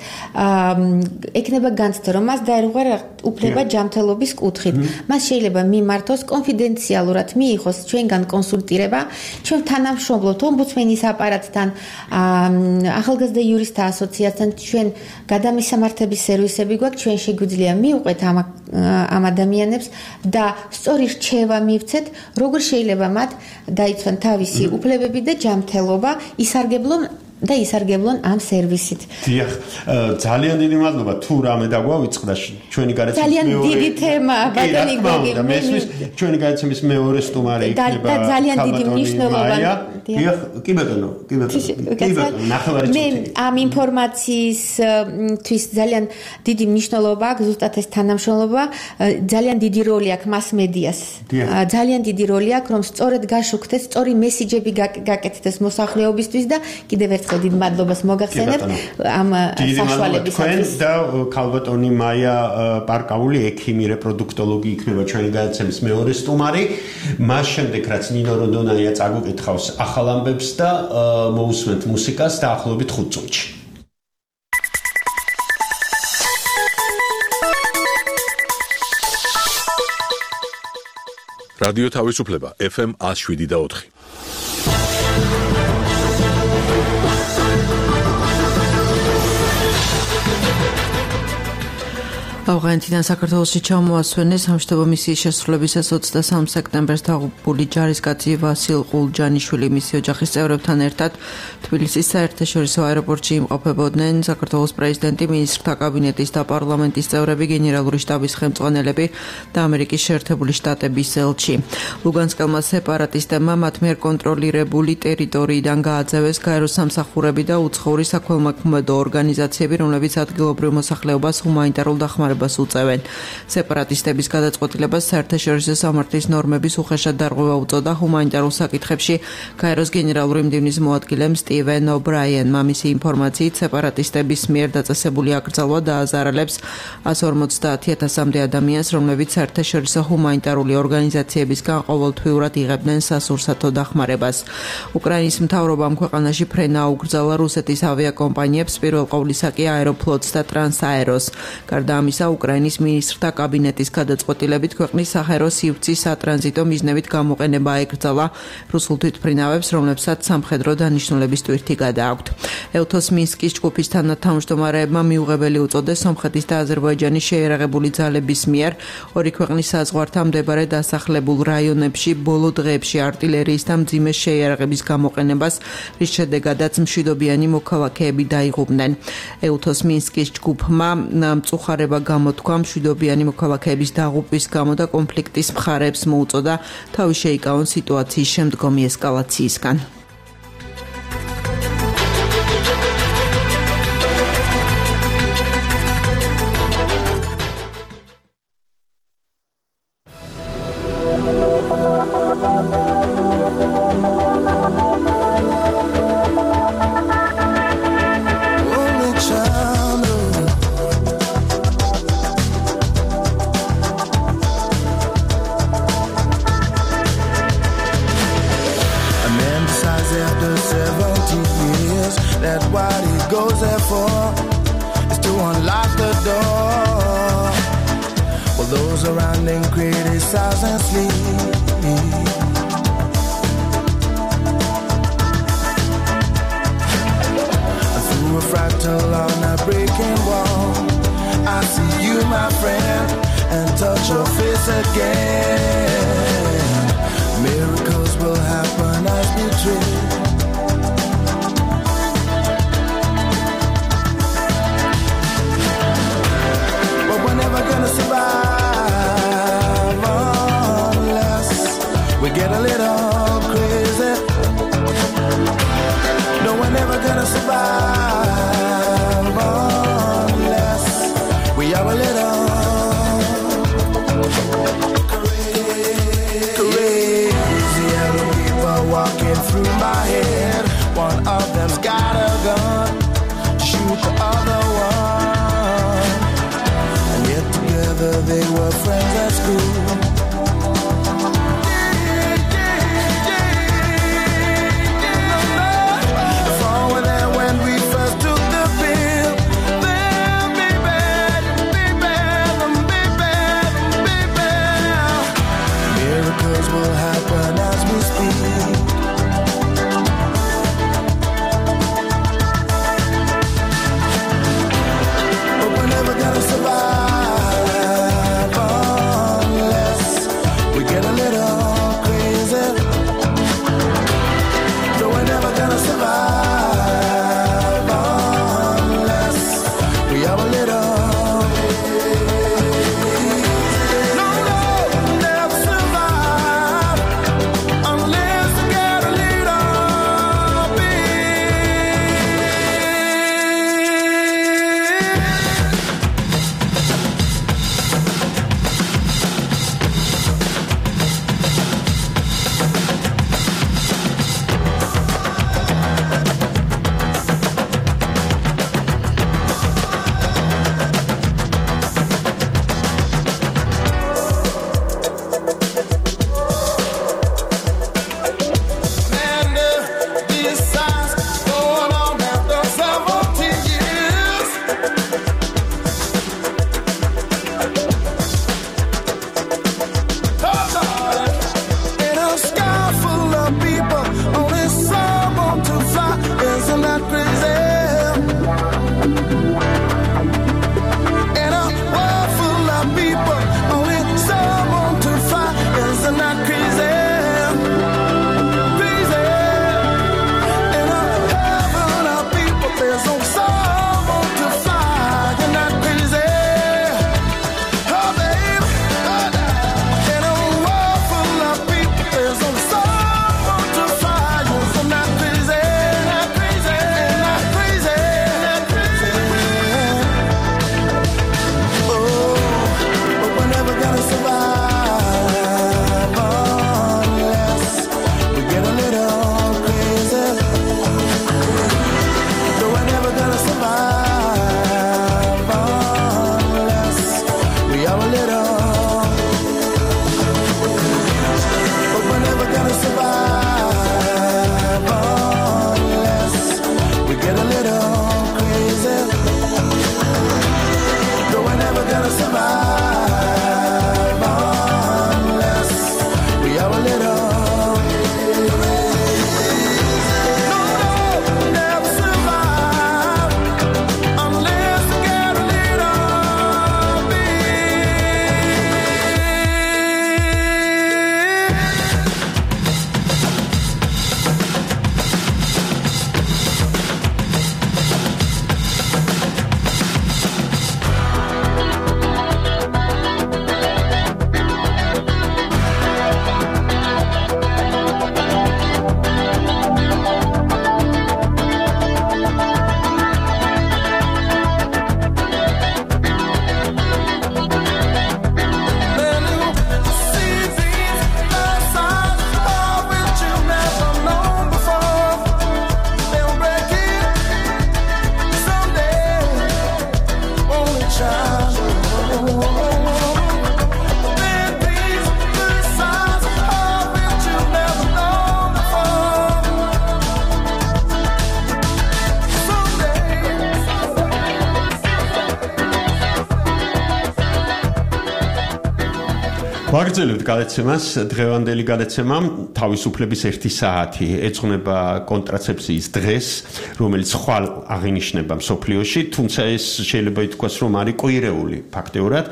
Speaker 4: ექნება განცდა, რომ მას დაერღვია უფლება ჯანმრთელობის კუთხით. მას შეიძლება მიმართოს კონფიდენციალურად მიიღოს ჩვენგან კონსულტირება, ჩვენ თანამშრომლობთ ომბუდსმენის აპარატთან, ახალგაზრდა იურისტთა ასოციაციასთან, ჩვენ გადამისამართების სერვისები გვაქვს, ჩვენ შეგვიძლია მივყვეთ ამ ადამიანებს და სწორი რჩევა მივცეთ, როგორ შეიძლება მათ დაიცვან თავისი უფლებები და ჯანმრთელობა, ისარგებლონ ამ სერვისით.
Speaker 3: დიახ, ძალიან დიდი მადლობა. თუ რამე დაგვავიწყდა ჩვენი გადაცემის
Speaker 4: ძალიან დიდი თემა, ბატონი გოგი.
Speaker 3: ჩვენი გადაცემის მეორე სტუმარი იქნება
Speaker 4: ძალიან დიდი მნიშვნელობა.
Speaker 3: კი ბატონო, ნახევარი წუთი.
Speaker 4: მე ამ ინფორმაციისთვის ძალიან დიდი მნიშვნელობა აქვს ზუსტად ეს თანამშრომლობა, ძალიან დიდი როლი აქვს mass-medias. ძალიან დიდი როლი აქვს, რომ სწორედ გაშუქდეს, სწორი მესიჯები გაკეთდეს მოსახლეობისთვის და კიდევ ერთხელ დიდ მადლობას მოგახსენებ ამ საშუალებისათვის.
Speaker 3: და ქალბატონი მაია პარკაული, ექიმი, რეპროდუქტოლოგი იქნება ჩვენი გადაცემის მეორე სტუმარი. მას შემდეგ რაც ნინო როდონაია წაგუკითხავს ახალ ამბებს და მოусმენთ მუსიკას დაახლოებით 5 წუთში.
Speaker 1: რადიო თავისუფლება FM 107.4.
Speaker 5: ავღანეთიდან საქართველოში ჩამოასვენეს სამშვიდობო მისიის შესრულებისას 23 სექტემბერს დაღუპული ჯარისკაცი ვასილ ყულჯანიშვილი მისი ოჯახის წევრებთან ერთად თბილისის საერთაშორისო აეროპორტში იმყოფებოდნენ საქართველოს პრეზიდენტი, მინისტრთა კაბინეტის და პარლამენტის წევრები, გენერალური შტაბის ხელმძღვანელები და ამერიკის შეერთებული შტატების ელჩი. ლუგანსკელმა სეპარატისტებმა მათ მიერ კონტროლირებული ტერიტორიიდან გააძევეს გაეროს სამსახურები და უცხოური საქველმოქმედო ორგანიზაციები, რომლებიც ადგილობრივ მოსახლეობას ჰუმანიტარულ დახმარებას უწევენ. სეპარატისტების გადაწყვეტილებას საერთაშორისო სამართლის ნორმების უხეშად დარღვევა უწოდა ჰუმანიტარულ საკითხებში გაეროს გენერალური მდივნის მოადგილემ სტივენ ობრაიენმა. მისი ინფორმაციით, სეპარატისტების მიერ დაწესებული აკრძალვა დააზარალებს 150,000-მდე ადამიანს, რომლებიც საერთაშორისო ჰუმანიტარული ორგანიზაციებისგან ყოველთვიურად იღებდნენ სასურსათო დახმარებას. უკრაინის მთავრობამ ქვეყანაში ფრენა აუკრძალა რუსეთის ავიაკომპანიებს, პირველ ყოვლისა კი აეროფლოტს და ტრანსაეროს. გარდა ამისა, უკრაინის მინისტრთა კაბინეტის გადაწყვეტილებით ქვეყნის საჰაერო სივრცის სატრანზიტო მიზნებით გამოყენება აეკრძალა რუსულ თვითმფრინავებს, რომლებსაც სამხედრო დანიშნულების ტვირთი გადააქვთ. ევთოს მინსკის ჯგუფის თანათავმჯდომარეებმა მიუღებელი უწოდეს სომხეთის და აზერბაიჯანის შეიარაღებული ძალების მიერ ორი ქვეყნის საზღვართან მდებარე დასახლებულ რაიონებში ბოლო დღეებში არტილერიის და მძიმე შეიარაღების გამოყენებას, რის შედეგადაც მშვიდობიანი მოქალაქეები დაიღუპნენ. ევთოს მინსკის ჯგუფმა მწუხარება გამოთქვა მშვიდობიანი მოქალაქეების დაღუპვის გამო და კონფლიქტის მხარეებს მოუწოდა თავი შეიკავონ სიტუაციის შემდგომი ესკალაციისგან.
Speaker 3: ვაგრძელებთ გადაცემას. დღევანდელი გადაცემა თავისუფლების 1 საათი ეძღვნება კონტრაცეფციის დღეს, რომელიც ხვალ აღინიშნება მსოფლიოში, თუმცა ეს შეიძლება ითქვას, რომ არის კვირეული ფაქტეურად.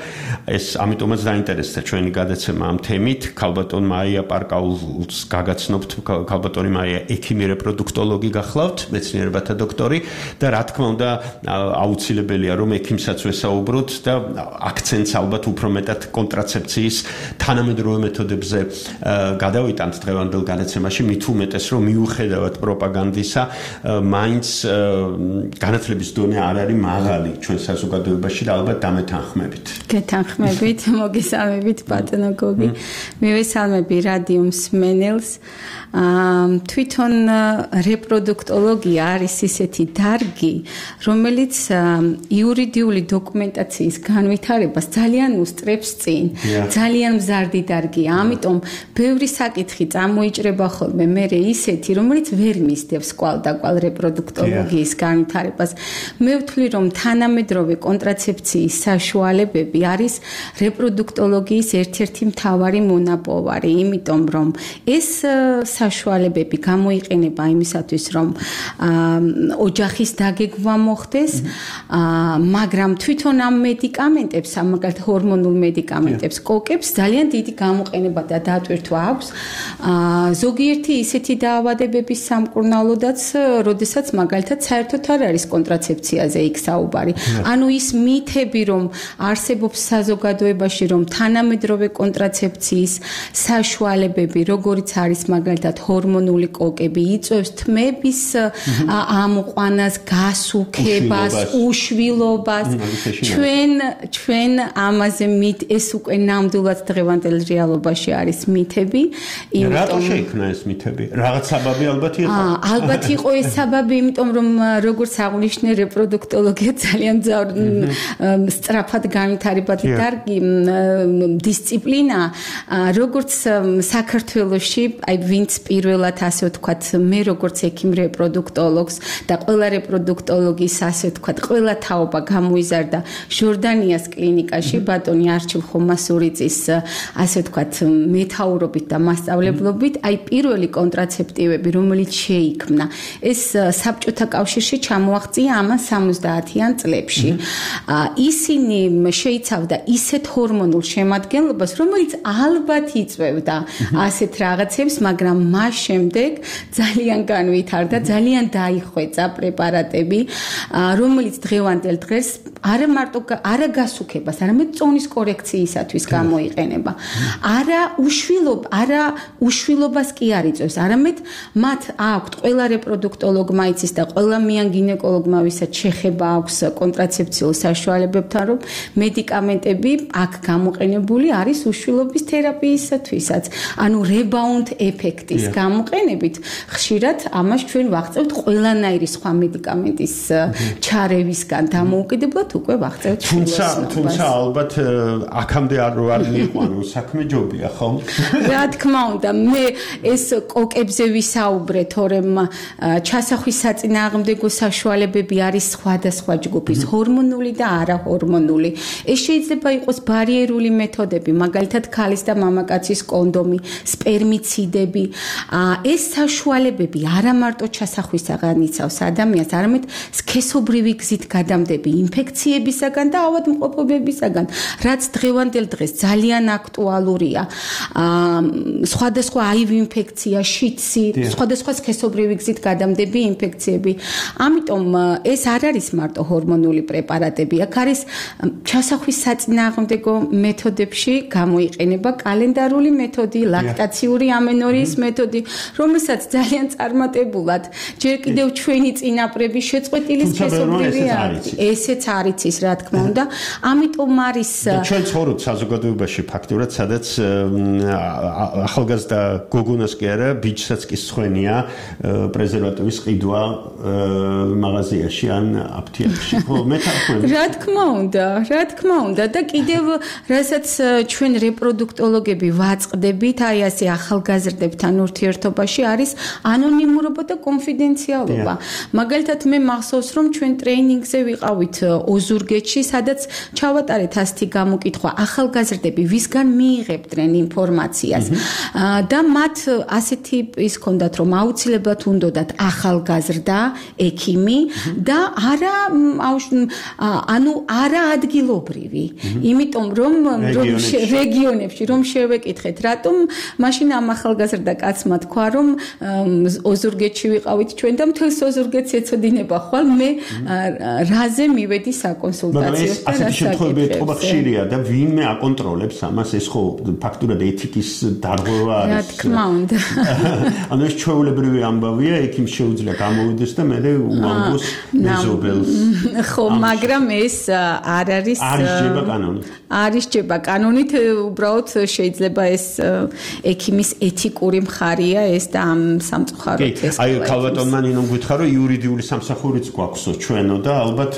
Speaker 3: ეს ამიტომაც დაინტერესდა ჩვენი გადაცემა ამ თემით. ქალბატონ მაია პარკაულს გაგაცნობთ, ქალბატონი მაია ექიმი რეპროდუქტოლოგი გახლავთ, მეცნიერებათა დოქტორი და რა თქმა უნდა აუცილებელია რომ ექიმსაც ვესაუბროთ და აქცენტს ალბათ უფრო მეტად კონტრაცეფციის თანამედროვე მეთოდებზე გადავიტანთ დღევანდელ გადაცემაში, მით უმეტეს რომ მიუხედავად პროპაგანდისა, მაინც განათლების დონე არ არის მაღალი ჩვენ საზოგადოებაში და ალბათ დამეთანხმებით.
Speaker 6: გეთანხმებით, მოგესალმებით ბატონო გოგი. მივესალმები რადიო მსმენელს. თვითონ რეპროდუქტოლოგია არის ისეთი დარგი, რომელიც იურიდიული დოკუმენტაციის განვითარებას ძალიან უსწრებს წინ. ძალიან მზარდი დარგია, ამიტომ ბევრი საკითხი წამოიჭრება ხოლმე მერე ისეთი, რომელიც ვერ მისდევს კვალდაკვალ რეპროდუქტოლოგიის განვითარებას. მე ვთვლი, რომ თანამედროვე კონტრაცეფციის საშუალებები არის რეპროდუქტოლოგიის ერთ-ერთი მთავარი მონაპოვარი, იმიტომ რომ ეს საშუალებები გამოიყენება იმისათვის, რომ ოჯახის დაგეგმვა მოხდეს, მაგრამ თვითონ ამ მედიკამენტებს, მაგალითად ჰორმონულ მედიკამენტებს, კოკებს ძალიან დიდი გამოყენება და დატვირთვა აქვს. ზოგიერთი ისეთი დაავადებების სამკურნალოდაც, როდესაც მაგალითად საერთოდ არ არის კონტრაცეფციაზე იქ საუბარი. ანუ ის მითები, რომ არსებობს საზოგადოებაში, რომ თანამედროვე კონტრაცეფციის საშუალებები, როგორიც არის მაგალითად ჰორმონული კოკები, იწვევს თმების ამოყვანას, გასუქებას, უშვილობას. ჩვენ ამაზე ეს უკვე ნამდვილად დღევანდელ რეალობაში არის მითები.
Speaker 3: რატო შეიქმნა ეს მითები? რაღაც საბაბი ალბათ იყო.
Speaker 6: ალბათ იყო ეს საბაბი, იმიტომ რომ როგორც აღნიშნე რეპროდუქტოლოგია ძალიან სწრაფად განვითარებადი დარგი დისციპლინა, როგორც საქართველოში, აი ვინც პირველად ასე ვთქვათ, მე როგორც ექიმ რეპროდუქტოლოგს და ყველა რეპროდუქტოლოგის ასე ვთქვათ, ყველა თაობა გამოიზარდა ჟორდანიას კლინიკაში, ბატონი არჩილ ხომასურიძის ასე ვთქვათ, მეთაურობით და მასწავლებლობით, აი პირველი კონტრაცეპტივები, რომელიც შეიქმნა, ეს საბჭოთა კავშირში ჩამოაღწია ამან 70-იან წლებში. ისინი შეიცავდა ისეთ ჰორმონულ შემადგენლობას, რომელიც ალბათ იწვევდა ასეთ რაღაცებს, მაგრამ მას შემდეგ ძალიან განვითარდა, ძალიან დაიხვეწა პრეპარატები, რომელიც დღევანდელ დღეს არა მარტო არა გასუქებას, არამედ წონის კორექციისათვის გამოიყენება. არა უშვილობას კი არ იწვევს, არამედ მათ აქვთ ყველა რეპროდუქტოლოგმა იცის და ყველა მიან გინეკოლოგმა, ვისაც შეხება აქვს კონტრაცეფციულ საშუალებებთან, რომ მედიკამენტები აქ გამოყენებული არის უშვილობის თერაპიისათვისაც. ანუ rebouнд ეფექტის გამოყენებით ხშირად ამას ჩვენ ვაღწევთ ყველანაირი სხვა მედიკამენტის ჩარევისგან დამოუკიდებლად უკვე ვაღწევთ.
Speaker 3: თუმცა ალბათ აქამდე არ მიიყვანო საქმე ჯობია, ხო?
Speaker 6: რა თქმა უნდა, მე ეს კოკებზე ვისაუბრე, თორემ ჩასახვის საწინააღმდეგო საშუალებები არის სხვადასხვა ჯგუფის, ჰორმონული და არაჰორმონული. ეს შეიძლება იყოს ბარიერული მეთოდები, მაგალითად ქალის და მამაკაცის კონდომი, სპერმიციდები. ეს საშუალებები არა მარტო ჩასახვისაგან იცავს ადამიანს, არამედ სქესობრივი გზით გადამდები ინფექციებისაგან და ავადმყოფობებისაგან, რაც დღევანდელ დღეს ძალიან აქტუალურია. სხვადასხვა აივ ინფექცია, შიცი, სხვადასხვა სქესობრივი გზით გადამდები ინფექციები. ამიტომ ეს არ არის მარტო ჰორმონული პრეპარატები, აქ არის ჩასახვის საწინააღმდეგო მეთოდებში გამოიყენება კალენდარული მეთოდი, ლაქტაციური ამენორიის მეთოდი, რომელსაც ძალიან წარმატებულად ჯერ კიდევ ჩვენი წინაპრები შეწყვეტილი სქესობრივი არის. ესეც არ იცის, რა თქმა უნდა. ამიტომ არის
Speaker 3: ჩვენ ცხოვრობთ საზოგადოებაში ფაქტურად, სადაც ახალგაზრდა გოგონას კი არა, ბიჭსაც კი სხენია პრეზერვატივის ყიდვა მაღაზიაში ან აფთიაქში. ხო, მეთანხმები.
Speaker 6: რა თქმა უნდა და კიდევ რასაც ჩვენ რეპროდუქტოლოგები ვაწყდებით, აი ასე ახალგაზრდებთან ურთიერთობაში არის ანონიმურობა და კონფიდენციალობა. მაგალითად მე მახსოვს, რომ ჩვენ ტრეინინგზე ვიყავით ოზურგეთში, სადაც ჩავატარეთ ასეთი გამოკითხვა, ახალგაზრდები ვის ვისგან მიიღებდნენ ინფორმაციას და მათ ასეთი ის ჰქონდათ რომ აუცილებლად უნდათ ახალგაზრდა ექიმი და არა ადგილობრივი იმიტომ რომ რეგიონებში რომ შევეკითხეთ რატომ მაშინ ამ ახალგაზრდა კაცმა თქვა რომ ოზურგეთში ვიყავით ჩვენ და მთელს ოზურგეთს ეცოდინება ხვალ მე რაზე მივედი საკონსულტაციო და
Speaker 3: ასეთი შემთხვევები ეთყობა ხშირია და ვინმე აკონტროლებს ამას ეს ხო ფაქტურად ეთიკის დარღვევა არის
Speaker 6: რა თქმა უნდა
Speaker 3: ანუ ეს ჩვეულებრივი ამბავია ექიმს შეუძლია გამოვიდეს და მე უამბოს მეზობელს
Speaker 6: ხო მაგრამ ეს არ არის არის ჯება კანონით უბრალოდ შეიძლება ეს ექიმის ეთიკური მხარეა ეს და ამ სამწუხაროდ ეს
Speaker 3: აი ქალბატონმა ნინომ გითხრა რომ იურიდიული სამსახურიც გვაქვსო ჩვენო და ალბათ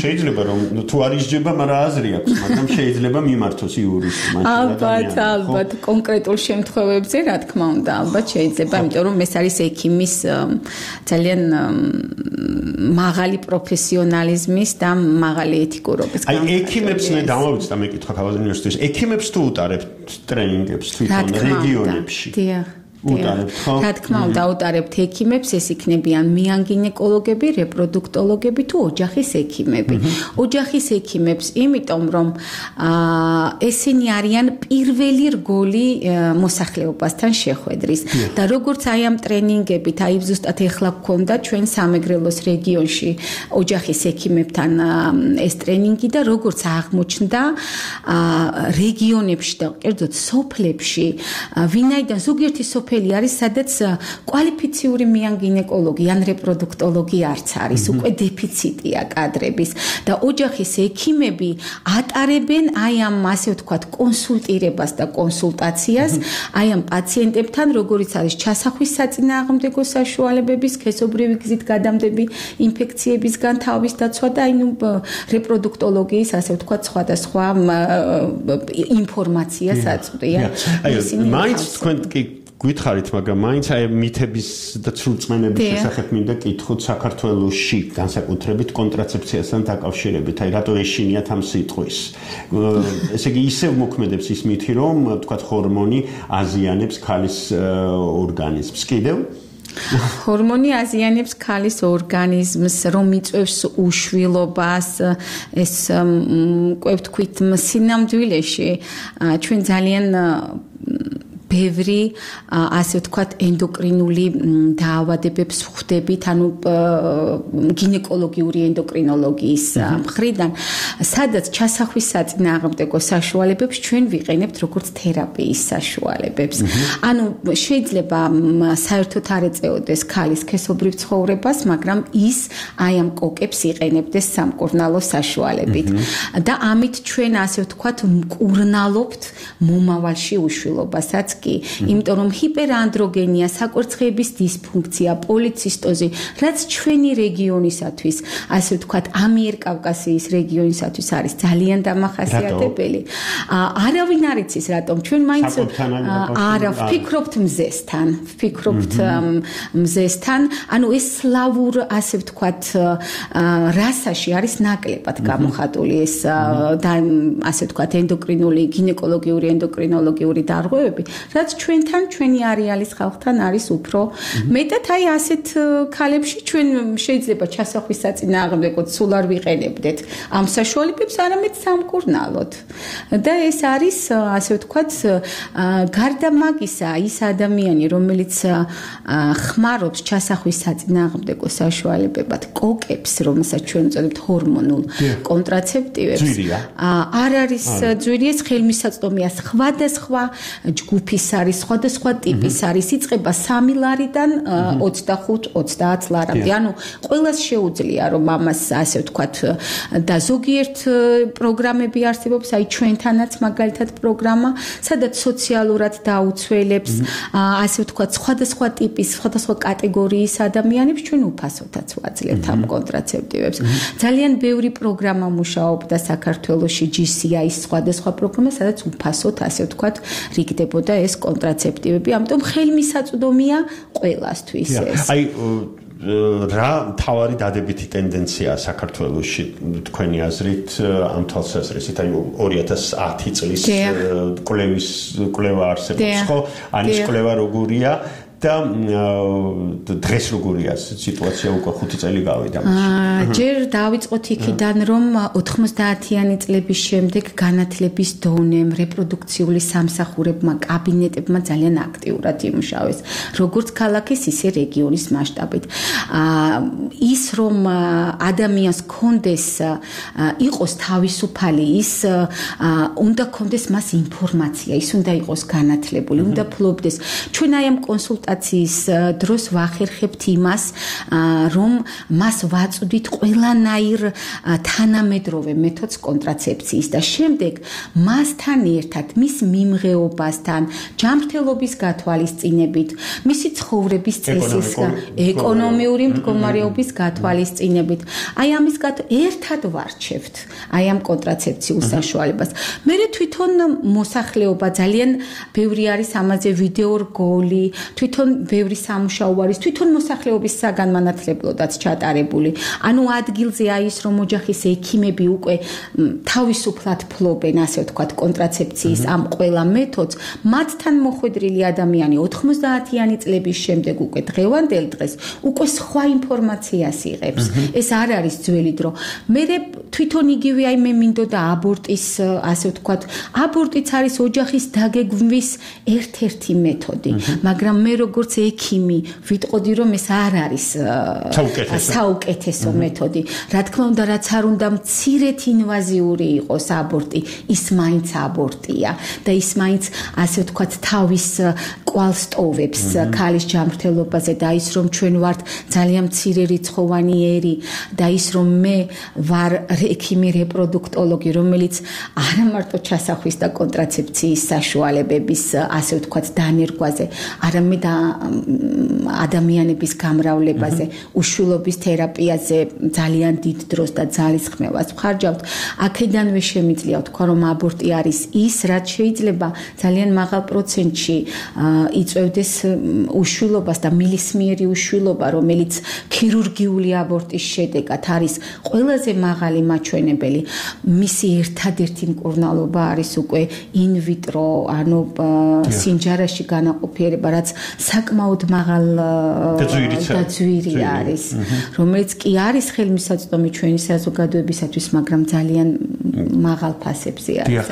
Speaker 3: შეიძლება რომ თუ არ ისჯება მაგრამ აზრი აქვს მაგრამ შეიძლება მიმართოს იურისტმა
Speaker 6: ალბათ კონკრეტულ შემთხვევებზე რა თქმა უნდა ალბათ შეიძლება იმიტომ რომ ეს არის ექიმის ძალიან მაღალი პროფესიონალიზმის და მაღალი ეთიკურობის
Speaker 3: აი ექიმებს მე დამოვიწყდა მეკითხა ქალბატონ უნივერსიტეტში ექიმებს თუ უტარებთ ტრენინგებს თვითონ რეგიონებში
Speaker 6: რა თქმა უნდა უტარებთ ექიმებს ეს იქნებიან მეანგინეკოლოგები, რეპროდუქტოლოგები თუ ოჯახის ექიმები. ოჯახის ექიმებს იმიტომ რომ ესენი არიან პირველი რგოლი მოსახლეობასთან შეხვედრის და როგორც აი ამ ტრენინგებით აი ზუსტად ეხლა გქონდა ჩვენ სამეგრელოს რეგიონში ოჯახის ექიმებთან ეს ტრენინგი და როგორც აღმოჩნდა რეგიონებში და კერძოდ სოფლებში ვინაიდან ზოგიერთი სოფელი არის სადაც კვალიფიციური მეანგინეკოლოგი ან რეპროდუქტოლოგი არც არის უკვე დეფიციტია კადრების და ოჯახის ექიმები ატარებენ აი ამ ასე ვთქვათ კონსულტირებას და კონსულტაციას აი ამ პაციენტებთან როგორიც არის ჩასახვის საწინააღმდეგო საშუალებების სქესობრივი გზით გადამდები ინფექციებისგან თავის დაცვა და აი რეპროდუქტოლოგიის ასე ვთქვათ სხვადასხვა ინფორმაციას აწვდიან
Speaker 3: მაინც თქვენ კი გითხარით მაგრამ მაინც აი მითების და ცრუწმენების შესახებ მინდა კითხოთ საქართველოში განსაკუთრებით კონტრაცეფციასთან დაკავშირებით აი რატო ეშინიათ ამ სიტყვის ესე იგი ისევ მოქმედებს ის მითი რომ ვთქვათ ჰორმონი აზიანებს ქალის ორგანიზმს კიდევ
Speaker 6: ჰორმონი აზიანებს ქალის ორგანიზმს, რომ იწვევს უშვილობას, ეს კვევთქვით სინამდვილეში ჩვენ ძალიან ბევრი ასე ვთქვათ ენდოკრინული დაავადებებს ვხვდებით, ანუ გინეკოლოგიური ენდოკრინოლოგიის მხრიდან, სადაც ჩასახვის საწინააღმდეგო საშუალებებს ჩვენ ვიყენებთ როგორც თერაპიის საშუალებებს. ანუ შეიძლება საერთოდ არ ეწეოდეს ქალის სქესობრივ ცხოვრებას, მაგრამ ის აი ამ კოკებს იყენებდეს სამკურნალო საშუალებით. და ამით ჩვენ ასე ვთქვათ მკურნალობთ მომავალში უშვილობასაც იმიტომ რომ ჰიპერანდროგენია, საკვერცხების დისფუნქცია, პოლიცისტოზი, რაც ჩვენი რეგიონისათვის, ასე ვთქვათ, ამიერკავკასიის რეგიონისათვის არის ძალიან დამახასიათებელი. არავინ არ იცის რატომ ჩვენ მაინც არა ვფიქრობთ მზესთან, ანუ ეს სლავურ, ასე ვთქვათ, რასაში არის ნაკლებად გამოხატული ეს და ასე ვთქვათ, ენდოკრინული, გინეკოლოგიური, ენდოკრინოლოგიური დარღვევები. რაც ჩვენთან, ჩვენი არეალის ხალხთან არის უფრო მეტად აი ასეთ ქალებში ჩვენ შეიძლება ჩასახვის საწინააღმდეგოდ სულ არ ვიყენებდეთ ამ საშუალებებს, არამედ სამკურნალოდ. და ეს არის ასე ვთქვათ, გარდა მაგისა, ის ადამიანი, რომელიც ხმარობს ჩასახვის საწინააღმდეგო საშუალებებად, კოკებს, რომელსაც ჩვენ ვწოდებთ ჰორმონულ კონტრაცეპტივებს, არ არის ძვირი, ეს ხელმისაწვდომია სხვადასხვა ჯგუფის არის სხვადასხვა ტიპის არის იწყება 3 ლარიდან 25-30 ლარამდე. ანუ ყველას შეუძლია რომ ამას ასე ვთქვათ და ზოგიერთ პროგრამები არსებობს, აი ჩვენთანაც მაგალითად პროგრამა, სადაც სოციალურად დაუცველებს, ასე ვთქვათ სხვადასხვა ტიპის, სხვადასხვა კატეგორიის ადამიანებს ჩვენ უფასოდაც ვაძლევთ ამ კონტრაცეპტივებს. ძალიან ბევრი პროგრამა მუშაობდა საქართველოში, GCI-ის სხვადასხვა პროგრამა, სადაც უფასოდ ასე ვთქვათ რიგდებოდა ეს კონტრაცეპტივები, ამიტომ ხელმისაწვდომია ყველასთვის ეს.
Speaker 3: აი რა თავარი დადებითი ტენდენციაა საქართველოში თქვენი აზრით ამ თვალსაზრისით აი 2010 წლის კვლევა არსებობს ხო ანის კვლევა როგორია და დღეს როგორია სიტუაცია უკვე 5 წელი გავიდა
Speaker 6: ჯერ დავიწყოთ იქიდან რომ 90-იანი წლების შემდეგ განათლების დონემ რეპროდუქციული სამსახურებმა კაბინეტებმა ძალიან აქტიურად იმუშავეს როგორც ქალაქის ისე რეგიონის მასშტაბით ის რომ ადამიანს კონდეს იყოს თავისუფალი ის უნდა კონდეს მას ინფორმაცია ის უნდა იყოს განათლებული უნდა ფლობდეს ჩვენ აი ამ კონსულტაციას დროს ვახერხებთ იმას რომ მას ვაწვდით ყველანაირ თანამედროვე მეთოდს კონტრაცეფციის და შემდეგ მასთან ერთად მის მიმღეობასთან ჯანმრთელობის გათვალისწინებით მისი ცხოვრების წესის ეკონომიური მდგომარეობის გათვალისწინებით აი ამის ერთად ვარჩევთ აი ამ კონტრაცეფციულ საშუალებას მე თვითონ მოსახლეობა ძალიან ბევრი არის ამაზე ვიდეო რგოლი თვითონ ბევრი სამუშაო არის თვითონ მოსახლეობის საგანმანათლებლოდაც ჩატარებული ანუ ადგილზე აი ის რომ ოჯახის ექიმები უკვე თავისუფლად ფლობენ ასე ვთქვათ კონტრაცეფციის ამ ყველა მეთოდს მათთან მოხვედრილი ადამიანი 90-იანი წლების შემდეგ უკვე დღევანდელ დღეს უკვე სხვა ინფორმაციას იღებს ეს არ არის ძველი დრო მე თვითონ იგივე აი მე მინდოდა აბორტის ასე ვთქვათ აბორტიც არის ოჯახის დაგეგმვის ერთ-ერთი მეთოდი მაგრამ მე როგორც ექიმი ვიტყოდი რომ ეს არ არის საუკეთესო მეთოდი რა თქმა უნდა რაც არ უნდა მცირედ ინვაზიური იყოს აბორტი ის მაინც აბორტია და ის მაინც ასე ვთქვათ თავის კვალს ტოვებს ქალის ჯანმრთელობაზე და ის რომ ჩვენ ვართ ძალიან მცირე რიცხოვანი ერი და ის რომ მე ვარ ექიმი რეპროდუქტოლოგი რომელიც არა მარტო ჩასახვის და კონტრაცეფციის საშუალებების ასე ვთქვათ დანერგვაზე არამედ ადამიანების გამრავლებაზე, უშვილობის თერაპიაზე ძალიან დიდ დროს და ძალისხმევას ვხარჯავთ. აქედანვე შემიძლია ვთქვა, რომ აბორტი არის ის, რაც შეიძლება ძალიან მაღალ პროცენტში იწვევდეს უშვილობას და მილისმიერი უშვილობა, რომელიც ქირურგიული აბორტის შედეგად არის ყველაზე მაღალი მაჩვენებელი. მისი ერთადერთი მკურნალობა არის უკვე ინვიტრო, ანუ სინჯარაში განაყოფიერება, რაც საკმაოდ მაღალ დაძვირი არის, რომელიც კი არის ხელმისაწვდომი ჩვენი საზოგადოებისათვის, მაგრამ ძალიან მაღალ ფასებზე არის.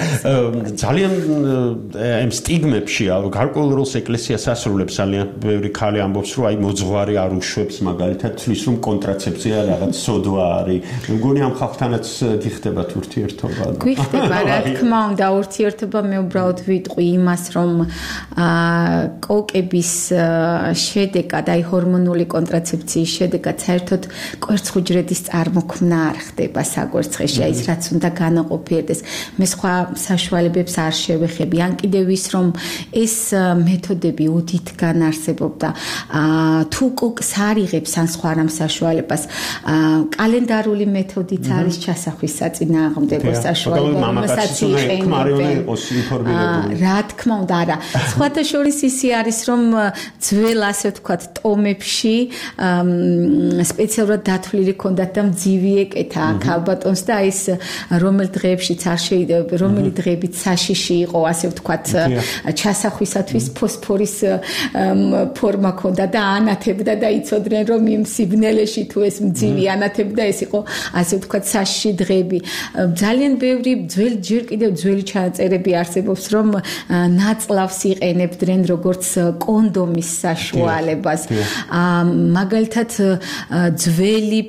Speaker 3: ძალიან ამ სტიგმებში გარკვეულ როლს ეკლესიას ასრულებს ძალიან ბევრი ქალი ამბობს, რომ აი მოძღვარი არ უშვებს მაგალითად თვლის რომ კონტრაცეფცია რაღაც სოდვა არის. მგონი ამ ხალხთანაც გიხდებათ ურთიერთობა.
Speaker 6: გიხდება, რა თქმა უნდა, ურთიერთობა მე უბრალოდ ვიტყვი იმას, რომ კოკების შედეგად, აი ჰორმონული კონტრაცეფციის შედეგად საერთოდ კვერცხუჯრედის წარმოქმნა არ ხდება საკვერცხეში, აი ის რაც უნდა განაყოფიერდეს. მე სხვა საშუალებებს არ შევეხები. ან კიდევ ის რომ ეს მეთოდები ოდითგან არსებობდა. თუ კოკს არ იღებს ან სხვა რამ საშუალებას, კალენდარული მეთოდიც არის ჩასახვის საწინააღმდეგო საშუალება, რომელსაც იყენებენ. რა თქმა უნდა, არა. სხვათა შორის ისი არის რომ ძველ ასე ვთქვათ ტომებში სპეციალურად დათვლილი ჰქონდათ და მძივი ეკეთა ქალბატონს და ის რომელ დღეებშიც არ შეიძლება რომელი დღეებით საშიში იყო ასე ვთქვათ ჩასახვისათვის ფოსფორის ფორმა ჰქონდა და ანათებდა და იცოდნენ რომ იმ სიბნელეში თუ ეს მძივი ანათებდა ეს იყო ასე ვთქვათ საშიში დღეები ძალიან ბევრი ჯერ კიდევ ძველი ჩანაწერები არსებობს რომ ნაწლავს იყენებდნენ როგორც კონდომის საშუალებას მაგალითად ძველი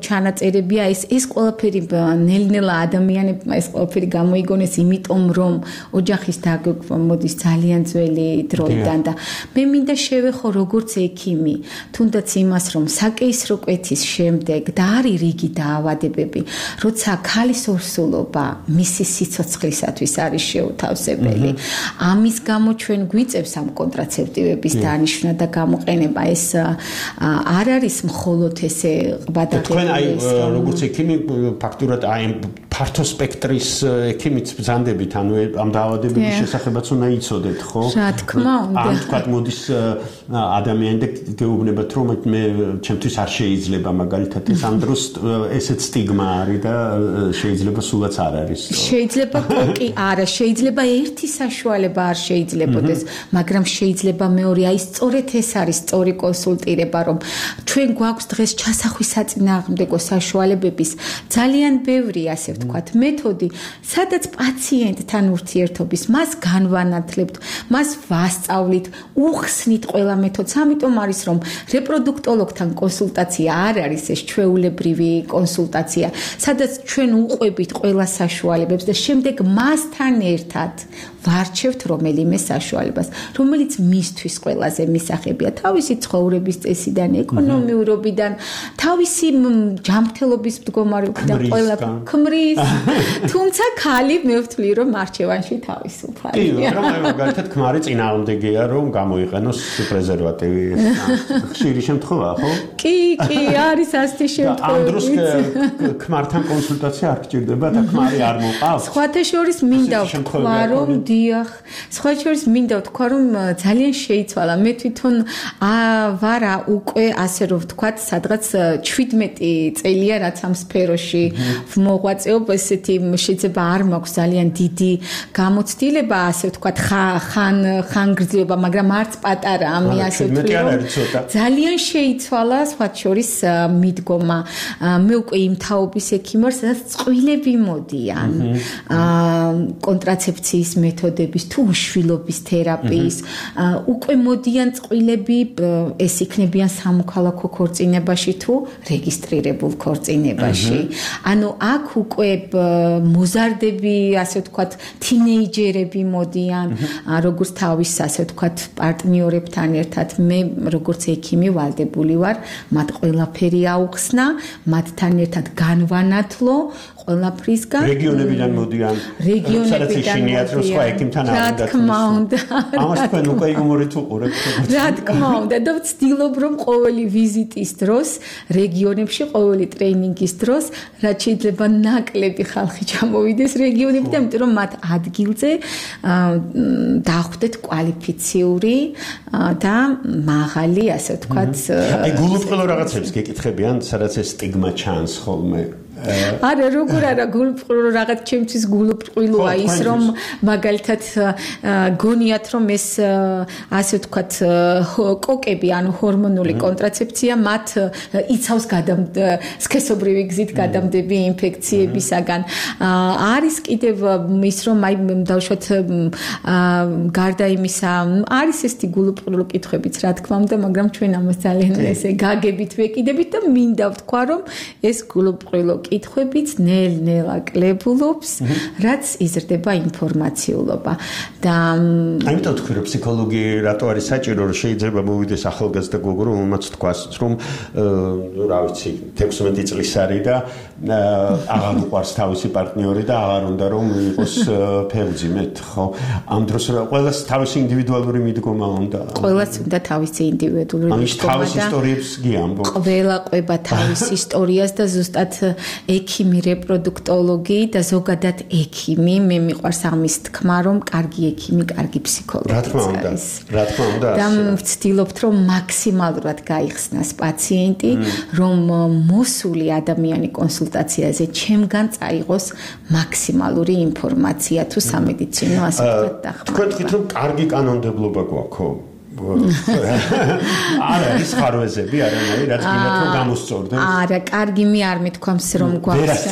Speaker 6: ჩანაწერებია ეს ყველაფერი ნელ-ნელა ადამიანებმა ეს ყველაფერი გამოიგონეს იმიტომ რომ ოჯახის დაგეგმვა მოდის ძალიან ძველი დროიდან და მე მინდა შევეხო როგორც ექიმი თუნდაც იმას რომ საკეისრო კვეთის შემდეგ და არის რიგი დაავადებები როცა ქალის ორსულობა მისი სიცოცხლისათვის არის შეუთავსებელი ამის გამო ჩვენ გვიწევს ამ კონტრაცეპტივების დანიშვნა და გამოყენება ეს არ არის მხოლოდ ესე ყვადაღებული
Speaker 3: თქვენ აი როგორც ექიმი ფაქტურად აი ფართო სპექტრის ექიმიც ბრძანდებით, ანუ ამ დაავადებების შესახებაც უნდა იცოდეთ, ხო?
Speaker 6: რა თქმა უნდა.
Speaker 3: ან თქვა მოდის ადამიანი და გეუბნებათ, რომ მე ჩემთვის არ შეიძლება მაგალითად ეს ამ დროს ესეც სტიგმა არის და შეიძლება სულაც არ არის.
Speaker 6: შეიძლება კი არა, შეიძლება ერთი საშუალება არ შეიძლებოდეს, მაგრამ შეიძლება მეორე, აი სწორედ ეს არის სწორი კონსულტირება, რომ ჩვენ გვაქვს დღეს ჩასახვის საწინააღმდეგო საშუალებების ძალიან ბევრი, ასე ვთქვათ, მეთოდი, სადაც პაციენტთან ურთიერთობის, მას განვანათლებთ, მას ვასწავლით, უხსნით ყველა მეთოდს, ამიტომ არის რომ რეპროდუქტოლოგთან კონსულტაცია არ არის ეს ჩვეულებრივი კონსულტაცია, სადაც ჩვენ უყვებით ყველა საშუალებებს და შემდეგ მასთან ერთად ვარჩევთ რომელიმე საშუალებას, რომელიც მისთვის ყველაზე მისაღებია, თავისი ცხოვრების წესიდან, ეკონომიურობიდან, თავისი ჯანმრთელობის მდგომარეობიდან, ყველა ქმრის, თუმცა ხალი მე ვთვლი, რომ არჩევანში თავისუფალია.
Speaker 3: კი, რომ მაგალითად ქმარი წინააღმდეგია, რომ გამოიყენოს პრეზერვატივი, ხშირი შემთხვევაა, ხო?
Speaker 6: კი, არის ასეთი შემთხვევა.
Speaker 3: ამ დროს ქმართან კონსულტაცია არ გჭირდება და ქმარი არ მოყავს.
Speaker 6: სხვათა შორის მინდა ვთქვა, რომ დიახ, სხვათა შორის მინდა ვთქვა, რომ ძალიან შეიცვალა. მე თვითონ ვარა უკვე ასე რომ ვთქვათ, სადღაც 17 წელია რაც ამ სფეროში მოღვაწეობ, ესეთი შეიძლება არ მაქვს ძალიან დიდი გამოცდილება, ასე ვთქვათ, ხანგრძლივობა, მაგრამ არც პატარა, ამი ასე ვთქვი, ძალიან შეიცვალა სხვათა შორის მიდგომა. მე უკვე იმ თაობის ექიმი ვარ, სადაც წყვილები მოდიან. კონტრაცეფციის მეთოდების თუ უშვილობის თერაპიის უკვე მოდიან წყვილები, ეს იქნებიან სამოქალაქო ქორწინებაში თუ რეგისტრირებულ ქორწინებაში. ანუ აქ უკვე მოზარდები, ასე ვთქვათ, თინეიჯერები მოდიან, როგორც თავის, ასე ვთქვათ, პარტნიორებთან ერთად. მე როგორც ექიმი ვალდებული ვარ, მათ ყველაფერი აუხსნა, მათთან ერთად განვანათლო ყველაფრისგან.
Speaker 3: რეგიონებიდან მოდიან.
Speaker 6: რეგიონებიდან
Speaker 3: რა
Speaker 6: თქმა უნდა.
Speaker 3: ამას თქვენ უკვე იუმორით უყურებთ.
Speaker 6: რა თქმა უნდა და ვცდილობ რომ ყოველი ვიზიტის დროს, რეგიონებში ყოველი ტრეინინგის დროს, რაც შეიძლება ნაკლები ხალხი ჩამოვიდეს რეგიონებიდან, იმიტომ რომ მათ ადგილზე დახვდეთ კვალიფიციური და მაღალი, ასე ვთქვათ,
Speaker 3: აი გულუბრყვილო რაღაცებს გეკითხებიან, სადაც ეს სტიგმა ჩანს ხოლმე.
Speaker 6: არა, როგორ არა, გულუბრყვილო რაღაც ჩემთვის გულუბრყვილოა ის, რომ მაგალითად გონიათ, რომ ეს ასე ვთქვათ, კოკები, ანუ ჰორმონული კონტრაცეფცია მათ იცავს სქესობრივი გზით გადამდები ინფექციებისაგან. არის კიდევ ის, რომ აი დავუშვათ გარდა იმისა, არის ესეთი გულუბრყვილო კითხვებიც, რა თქმა უნდა, მაგრამ ჩვენ ამას ძალიან ესე გაგებით ვეკიდებით და მინდა ვთქვა, რომ ეს გულუბრყვილო კითხვებიც ნელ-ნელა კლებულობს, რაც იზრდება ინფორმაციულობა. და
Speaker 3: ამიტომ თქვი, რომ ფსიქოლოგი რატო არის საჭირო, რომ შეიძლება მოვიდეს ახალგაზრდა გოგო, რომელმაც თქვას, რომ რა ვიცი, 16 წლის არის და აღარ უყვარს თავისი პარტნიორი და აღარ უნდა რომ იყოს ფერმძიმედ, ხო? ამ დროს ყველას თავისი ინდივიდუალური მიდგომა უნდა.
Speaker 6: ყველას უნდა თავისი ინდივიდუალური მიდგომა.
Speaker 3: თავის ისტორიებს გიამბო.
Speaker 6: ყველა ყვება თავის ისტორიას და ზუსტად ექიმი, რეპროდუქტოლოგი და ზოგადად ექიმი, მე მიყვარს ამის თქმა, რომ კარგი ექიმი, კარგი ფსიქოლოგი არის.
Speaker 3: რა თქმა უნდა.
Speaker 6: და ვცდილობთ, რომ მაქსიმალურად გაიხსნას პაციენტი, რომ მოსული ადამიანი კონსულტაციაზე ჩემგან წაიღოს მაქსიმალური ინფორმაცია თუ სამედიცინო ასპექტად დახმარება.
Speaker 3: თქვენ თქვით, რომ კარგი კანონმდებლობა გვაქვს, ხო? არა, ის ხარვეზები არანაირი, რაც გინდათ რომ გამოსწორდეს.
Speaker 6: არა, კარგი მე არ მეთქვამს რომ გვაქვს.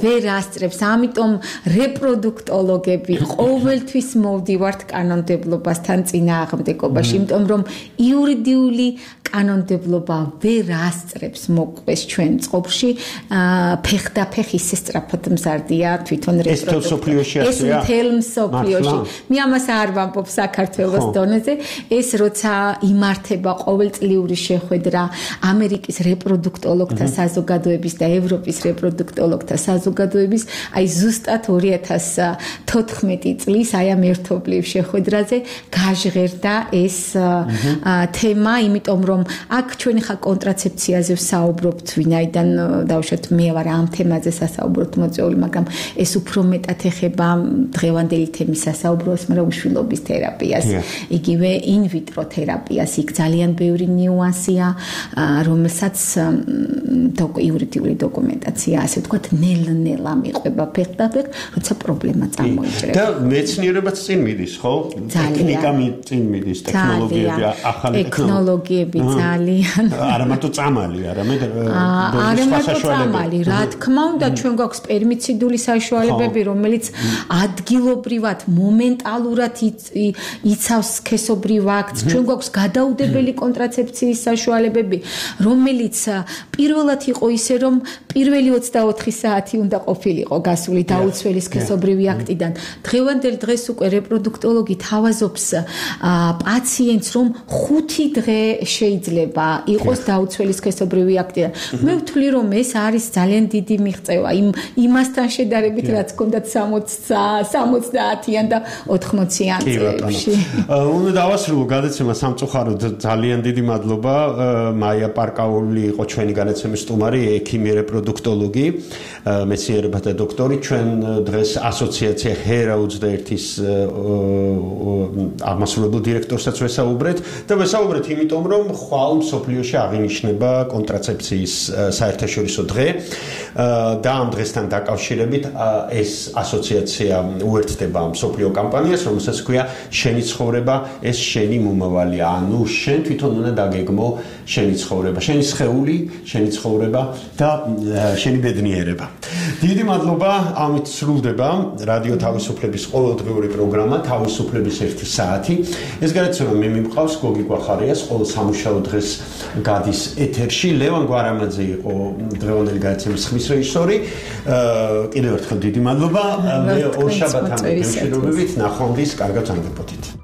Speaker 6: ვერ ასწრებს. ამიტომ რეპროდუქტოლოგები ყოველთვის მოვდივართ კანონმდებლობასთან წინააღმდეგობაში, იმიტომ რომ იურიდიული კანონმდებლობა ვერ ასწრებს მოკვეს ჩვენ წყობში, ფეხდაფეხ ისე სწრაფად მზარდია თვითონ რეპროდუქტოლოგია. ეს მთელ მსოფლიოში. მე ამას არ ვამბობ საქართველოს დონეზე, ეს როცა იმართება ყოველწლიური შეხვედრა ამერიკის რეპროდუქტოლოგთა საზოგადოების და ევროპის რეპროდუქტოლოგთა საზოგადოების, აი ზუსტად 2014 წლის აი ამ ერთობლივ შეხვედრაზე გაჟღერდა ეს თემა, იმიტომ რომ რომ აქ ჩვენ ხა კონტრაცეფციაზე ვსაუბრობთ, ვინაიდან დავუშვათ მე ვარ ამ თემაზე სასაუბროთ მოწვეული, მაგრამ ეს უფრო მეტად ეხება დღევანდელი თემის სასაუბროს, მაგრამ უშვილობის თერაპიას, იგივე in vitro თერაპიას. იქ ძალიან ბევრი ნიუანსია, რომელსაც იურიდიული დოკუმენტაცია, ასე ვთქვათ, ნელ-ნელა მიყვება ფეხდაფეხ, როცა პრობლემა წარმოიჭრება.
Speaker 3: და მეცნიერებაც წინ მიდის, ხო? ტექნიკა წინ მიდის, ტექნოლოგიები, ახალი
Speaker 6: ტექნოლოგიები ძალიან.
Speaker 3: არა მარტო წამალი, არამედ
Speaker 6: საშუალებები. რა თქმა უნდა, ჩვენ გვაქვს პერმიციდული საშუალებები, რომელიც ადგილობრივად, მომენტალურად იცავს სქესობრივ აქტს. ჩვენ გვაქვს გადაუდებელი კონტრაცეფციის საშუალებები, რომელიც პირველად იყო ისე, რომ პირველი 24 საათი უნდა ყოფილიყო გასული დაუცველი სქესობრივი აქტიდან. დღევანდელ დღეს უკვე რეპროდუქტოლოგი თავაზობს პაციენტს, რომ 5 დღე შეიძლება იყოს დაუცველი სქესობრივი აქტიდან. მე ვთვლი, რომ ეს არის ძალიან დიდი მიღწევა იმასთან შედარებით, რაც ჰქონდათ 70-იან და 80-იან წლებში.
Speaker 3: უნდა დავასრულო გადაცემა სამწუხაროდ. ძალიან დიდი მადლობა. მაია პარკაული იყო ჩვენი განაცემის სტუმარი, ექიმი რეპროდუქტოლოგი, მეცნიერებათა დოქტორი. ჩვენ დღეს ასოციაცია HERA 21-ის აღმასრულებელ დირექტორსაც ვესაუბრეთ და ვესაუბრეთ იმიტომ, რომ ხვალ მსოფლიოში აღინიშნება კონტრაცეფციის საერთაშორისო დღე და ამ დღესთან დაკავშირებით ეს ასოციაცია უერთდება მსოფლიო კამპანიას, რომელსაც ქვია შენი ცხოვრება, ეს შენი მომავალია. ანუ შენ თვითონ უნდა დაგეგმო შენი ცხოვრება, შენი სხეული, შენი ცხოვრება და შენი ბედნიერება. დიდი მადლობა. ამით სრულდება რადიო თავისუფლების ყოველდღიური პროგრამა თავისუფლების 1 საათი. ეს გადაცემა მე მიმყავს გოგი გვახარიას, ყოველ სამუშაო დღეს გადის ეთერში. ლევან გვარამაძე იყო დღევანდელი გადაცემის ხმის რეჟისორი. კიდევ ერთხელ დიდი მადლობა. მე ორ შაბათამდე გემშვიდობებით, ნახვამდის, კარგად ვარგებოდით.